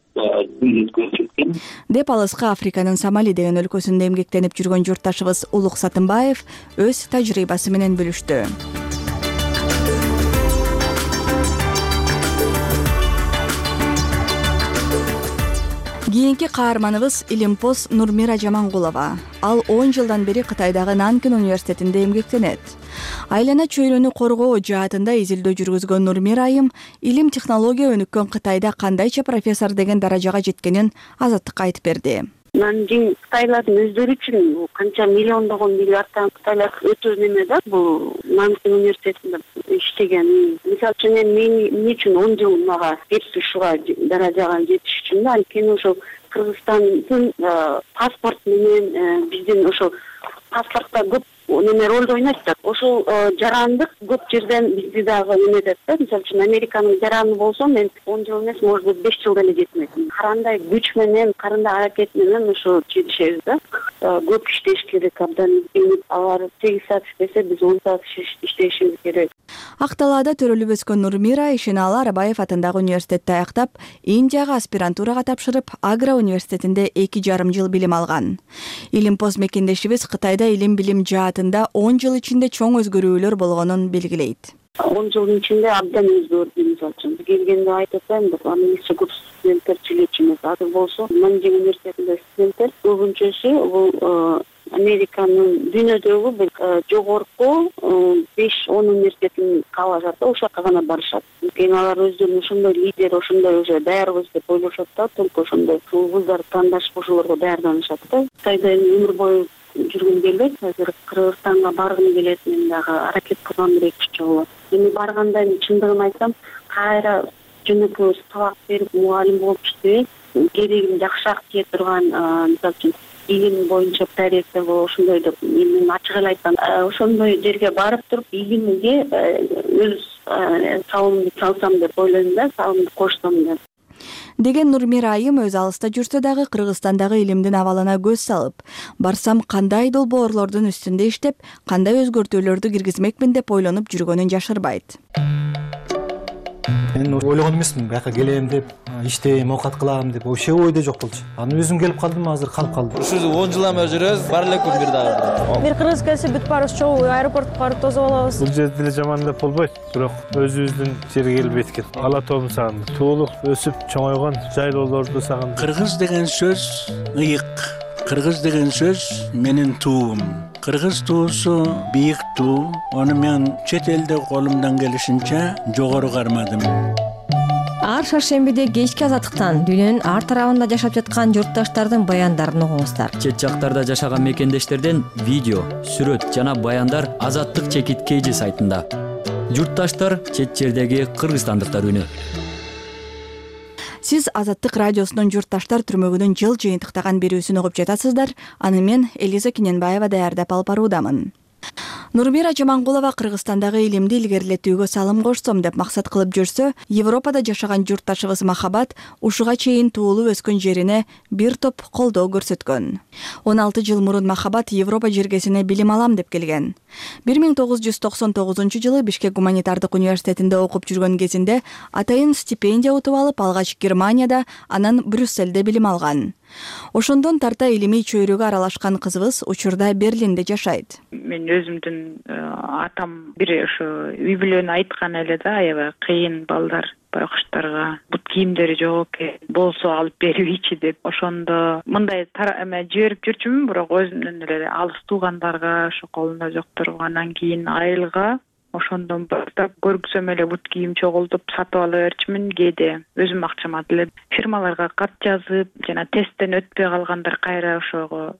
деп алыска Африканын Сомали деген өлкөсүндө эмгектенип жүргөн журтташыбыз Улук Сатымбаев өз тажрыйбасы менен бөлүштү. Кийинки каарманыбыз Илимпоз Нурмира Жамангулова. Ал 10 жылдан бери Кытайдагы Нанкин университетинде эмгектенет. Айлана чөйрөнү коргоо жаатында изилдөө жүргүзгөн Нурмира айым илим технология өнүккөн Кытайда кандайча профессор деген даражага жеткенин Азаттыкка айтып берди. Нанкин кытайлардын өздөрү үчүн канча миллиондогон миллиардтан кытайлар өтө неме да, бул Нанкин университетинде иштеген. Мисалы үчүн эмне үчүн 10 жыл мага кетти ушуга даражага жетиш үчүн да, анткени ошол Кыргызстандын паспорт менен биздин ошол паспортто көп неме ролду ойнойт да. Ошол жарандык көп жерден бизди дагы неметет да. Мисалы үчүн Американын жараны болсо мен 10 жыл эмес, может быть 5 жыл деле жетмек. Карандай күч менен, карандай аракет менен ошо жетишебиз да. Көп иштеш керек, абдан алар 8 саат иштесе, биз 10 саат иштешибиз керек. Ак талаада төрөлүп өскөн Нурмира Ишеналы Арабаев атындагы университетти аяктап, Индияга аспирантурага тапшырып, Агра университетинде 2,5 жыл билим алган. Илимпоз мекендешибиз Кытайда илим билим жаатында 10 жыл ичинде чоң өзгөрүүлөр болгонун белгилейт. 10 жылдын ичинде абдан өзгөрдү. Мисалы үчүн келгенде айтып атайын, англисче көп студенттер чилечи эмес. Азыр болсо Нанкин университетинде студенттер көбүнчөсү бул Американын дүйнөдөгү бир жогорку 5-10 университетин каалашат да, ошока гана барышат. Анткени алар өздөрүн ошондой лидер, ошондой уже даярбыз деп ойлошот да, только ошондой вуздарды тандашып ошолорго даярданышат да. Кытайда өмүр бою жүргүм келбейт, азыр Кыргызстанга баргым келет, мен дагы аракет кылгам 1-2 жолу. Эми барганда чындыгын айтсам, кайра жөнөкөй сабак берип мугалим болуп иштебей, керегин жакшыраак тие турган, мисалы үчүн илим боюнча проекттер ошондой деп мен ачык эле айткан, ошондой жерге барып туруп илимге өз салымымды салсам деп ойлойм да, салымымды кошсом деп. Деген Нурмира айым өз алыста жүрсө дагы Кыргызстандагы илимдин абалына көз салып, барсам кандай долбоорлордун үстүндө иштеп, кандай өзгөртүүлөрдү киргизмекмин деп ойлонуп жүргөнүн жашырбайт. мен ойлогон эмесмин бияка келем деп, иштейм, оокат кылам деп, вообще ойдо жок болчу. Анан өзүм келип калдым, азыр калып калдым. Ушул 10 жыл эме жүрөбүз, бар эле күн бир дагы. Бир кыргыз келсе бүт баарыбыз чогуу аэропортко барып тосуп алабыз. Бул жерде деле жаман деп болбойт, бирок өзүбүздүн жерге келип эткен. Ала тоомду сагындым. Туулук, өсүп чоңойгон жайлоолорду сагындым. Кыргыз деген сөз ыйык. Кыргыз деген сөз менин туум. Кыргыз туусу бийик туу. Аны мен чет элде колумдан келишинче жогору кармадым. Ар шаршембиде кечки азаттыктан дүйнөнүн ар тарабында жашап жаткан журтташтардын баяндарын угуңуздар. Чет жактарда жашаган мекендештерден видео, сүрөт жана баяндар Азаттык чекит KG сайтында. Журтташтар чет жердеги кыргызстандыктар үнү. Сиз Азаттык радиосунун журтташтар түрмөгүнүн жыл жыйынтыктаган берүүсүн угуп жатасыздар. Аны мен Элиза Киненбаева даярдап алып баруудамын. Нурмира Жамангулова Кыргызстандагы илимди илгерилетүүгө салым кошсом деп максат кылып жүрсө, Европада жашаган журтташыбыз Махабат ушуга чейин туулуп өскөн жерине бир топ колдоо көрсөткөн. 16 жыл мурун Махабат Европа жергесине билим алам деп келген. 1999 Бишкек гуманитардык университетинде окуп жүргөн кезинде атайын стипендия утуп алып, алгач Германияда, анан Брюссельде билим алган. Ошондон тарта илимий чөйрөгө аралашкан кызыбыз учурда Берлинде жашайт. Мен өзүмдүн атам бир ошо үй бүлөнү айткан эле да, аябай кыйын балдар байкуштарга бут кийимдери жок экен, болсо алып бербейчи деп. Ошондо мындай эме жиберип жүрчүмүн, бирок өзүмдөн эле алыс туугандарга, ошо колунда жокторго, анан кийин айылга ошондон баштап көргүсөм эле бут кийим чогултуп сатып ала берчүмүн. Кээде өзүм акчама деле фирмаларга кат жазып, жана тесттен өтпөй калгандар кайра ошого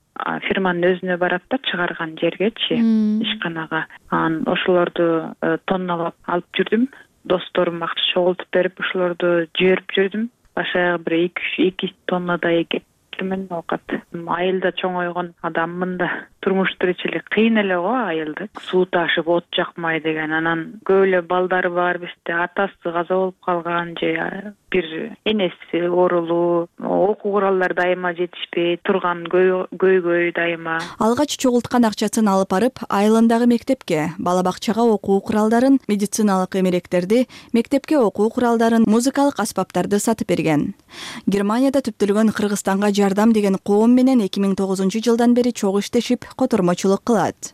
фирманын өзүнө барат да, чыгарган жергечи, ишканага. Анан ошолорду тонналап алып жүрдүм. Досторум акча чогултуп берип, ошолорду жиберип жүрдүм. Башаяк бир 2 тоннадай кетирмен оокат. Айылда чоңойгон адаммын да. Турмуш тиричилик кыйын эле го айылда. Суу ташып, от жакмай деген. Анан көп эле балдары бар бизде. Атасы каза болуп калган же бир энеси оорулуу. Окуу куралдары дайыма жетишпей турган, көйгөй дайыма. Алгач чогулткан акчасын алып барып, айылындагы мектепке, бала бакчага окуу куралдарын, медициналык эмеректерди, мектепке окуу куралдарын, музыкалык аспаптарды сатып берген. Германияда түптөлгөн Кыргызстанга жардам деген коом менен 2009 жылдан бери чогуу иштешип, котормочулук кылат.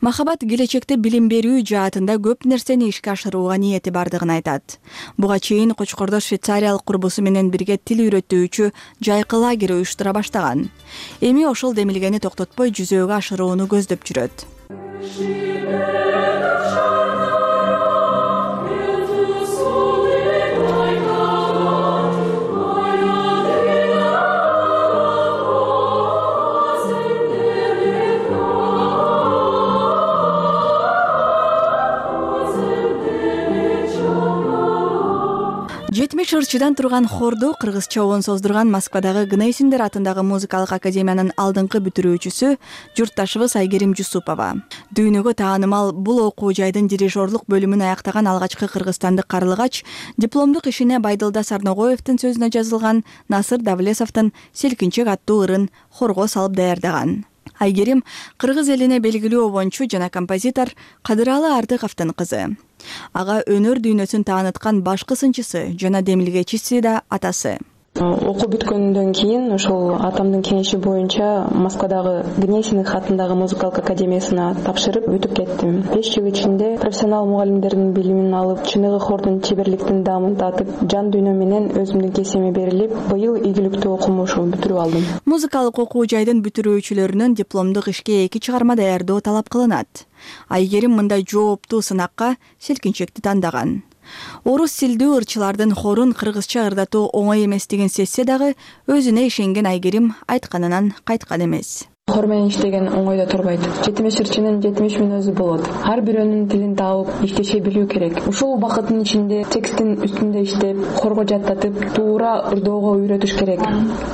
Махабат келечекте билим берүү жаатында көп нерсени ишке ашырууга ниети бардыгын айтат. Буга чейин Кочкордо швейцариялык курбусу менен бирге тил үйрөтүүчү жайкы лагерь уюштура баштаган. Эми ошол демилгени токтотпой жүзөөгө ашырууну көздөп жүрөт. Ырчыдан турган хорду кыргызча оон создурган Москвадагы Гнейсиндер атындагы музыкалык академиянын алдыңкы бүтүрүүчүсү журтташыбыз Айгерим Жусупова. Дүйнөгө таанымал бул окуу жайдын дирижерлук бөлүмүн аяктаган алгачкы кыргызстандык карлыгач, дипломдук ишине Байдылда Сарногоевдин сөзүнө жазылган Насыр Давлесовдун Селкинчек аттуу ырын хорго салып даярдаган. Айгерим кыргыз элине белгилүү обончу жана композитор Кадыралы Артыковдун кызы. Ага өнөр дүйнөсүн тааныткан башкы сынчысы жана демилгечиси да атасы. Окуу бүткөндөн кийин ошол атамдын кеңеши боюнча Москвадагы Гнесиных атындагы музыкалык академиясына тапшырып өтүп кеттим. 5 жыл ичинде профессионал мугалимдердин билимин алып, чыныгы хордун чеберликтин даамын татып, жан дүйнө менен өзүмдүн кесиме берилип, быйыл ийгиликтүү окумушу бүтүрүп алдым. Музыкалык окуу жайдын бүтүрүүчүлөрүнөн дипломдук ишке 2 чыгарма даярдоо талап кылынат. Айгерим мындай жооптуу сынакка Селкинчекти тандаган. Орус тилдүү ырчылардын хорун кыргызча ырдатуу оңой эмес деген сезсе дагы, өзүнө ишенген Айгерим айтканынан кайткан эмес. Хор менен иштеген оңойдо турбайт. 70 ырчынын 70 мүнөзү болот. Ар бирөөнүн тилин таап, иштеше билүү керек. Ушул убакыттын ичинде текстин үстүндө иштеп, хорго жаттатып, туура ырдоого үйрөтүш керек.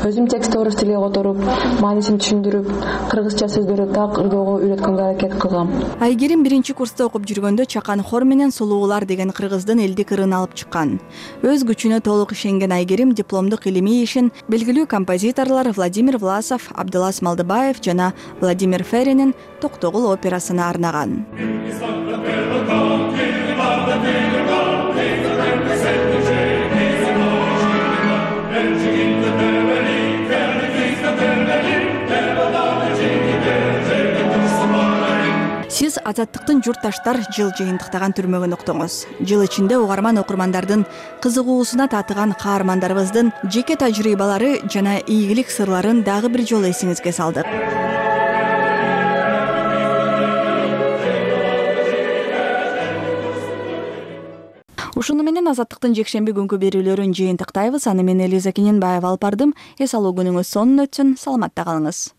Өзүм текстти орус тилге которуп, маанисин түшүндүрүп, кыргызча сөздөрдү так ырдоого үйрөткөнгө аракет кылгам. Айгерим 1-курста окуп жүргөндө Чакан хор менен Сулуулар деген кыргыздын элдик ырын алып чыккан. Өз күчүнө толук ишенген Айгерим дипломдук илимий ишин белгилүү композиторлор Владимир Власов, Абдылас Малдыбаев жана Владимир Феринин Токтогул операсына арнаган. биз Азаттыктын журтташтар жыл жыйынтыктаган түрмөгүн уктуңуз. Жыл ичинде угарман окурмандардын кызыгуусуна татыган каармандарыбыздын жеке тажрыйбалары жана ийгилик сырларын дагы бир жолу эсиңизге салдык. Ушуну менен Азаттыктын жекшемби күнкү берүүлөрүн жыйынтыктайбыз. Аны мен Элиза Кененбаева алып бардым. Эс алуу күнүңүз сонун өтсүн. Саламатта калыңыз.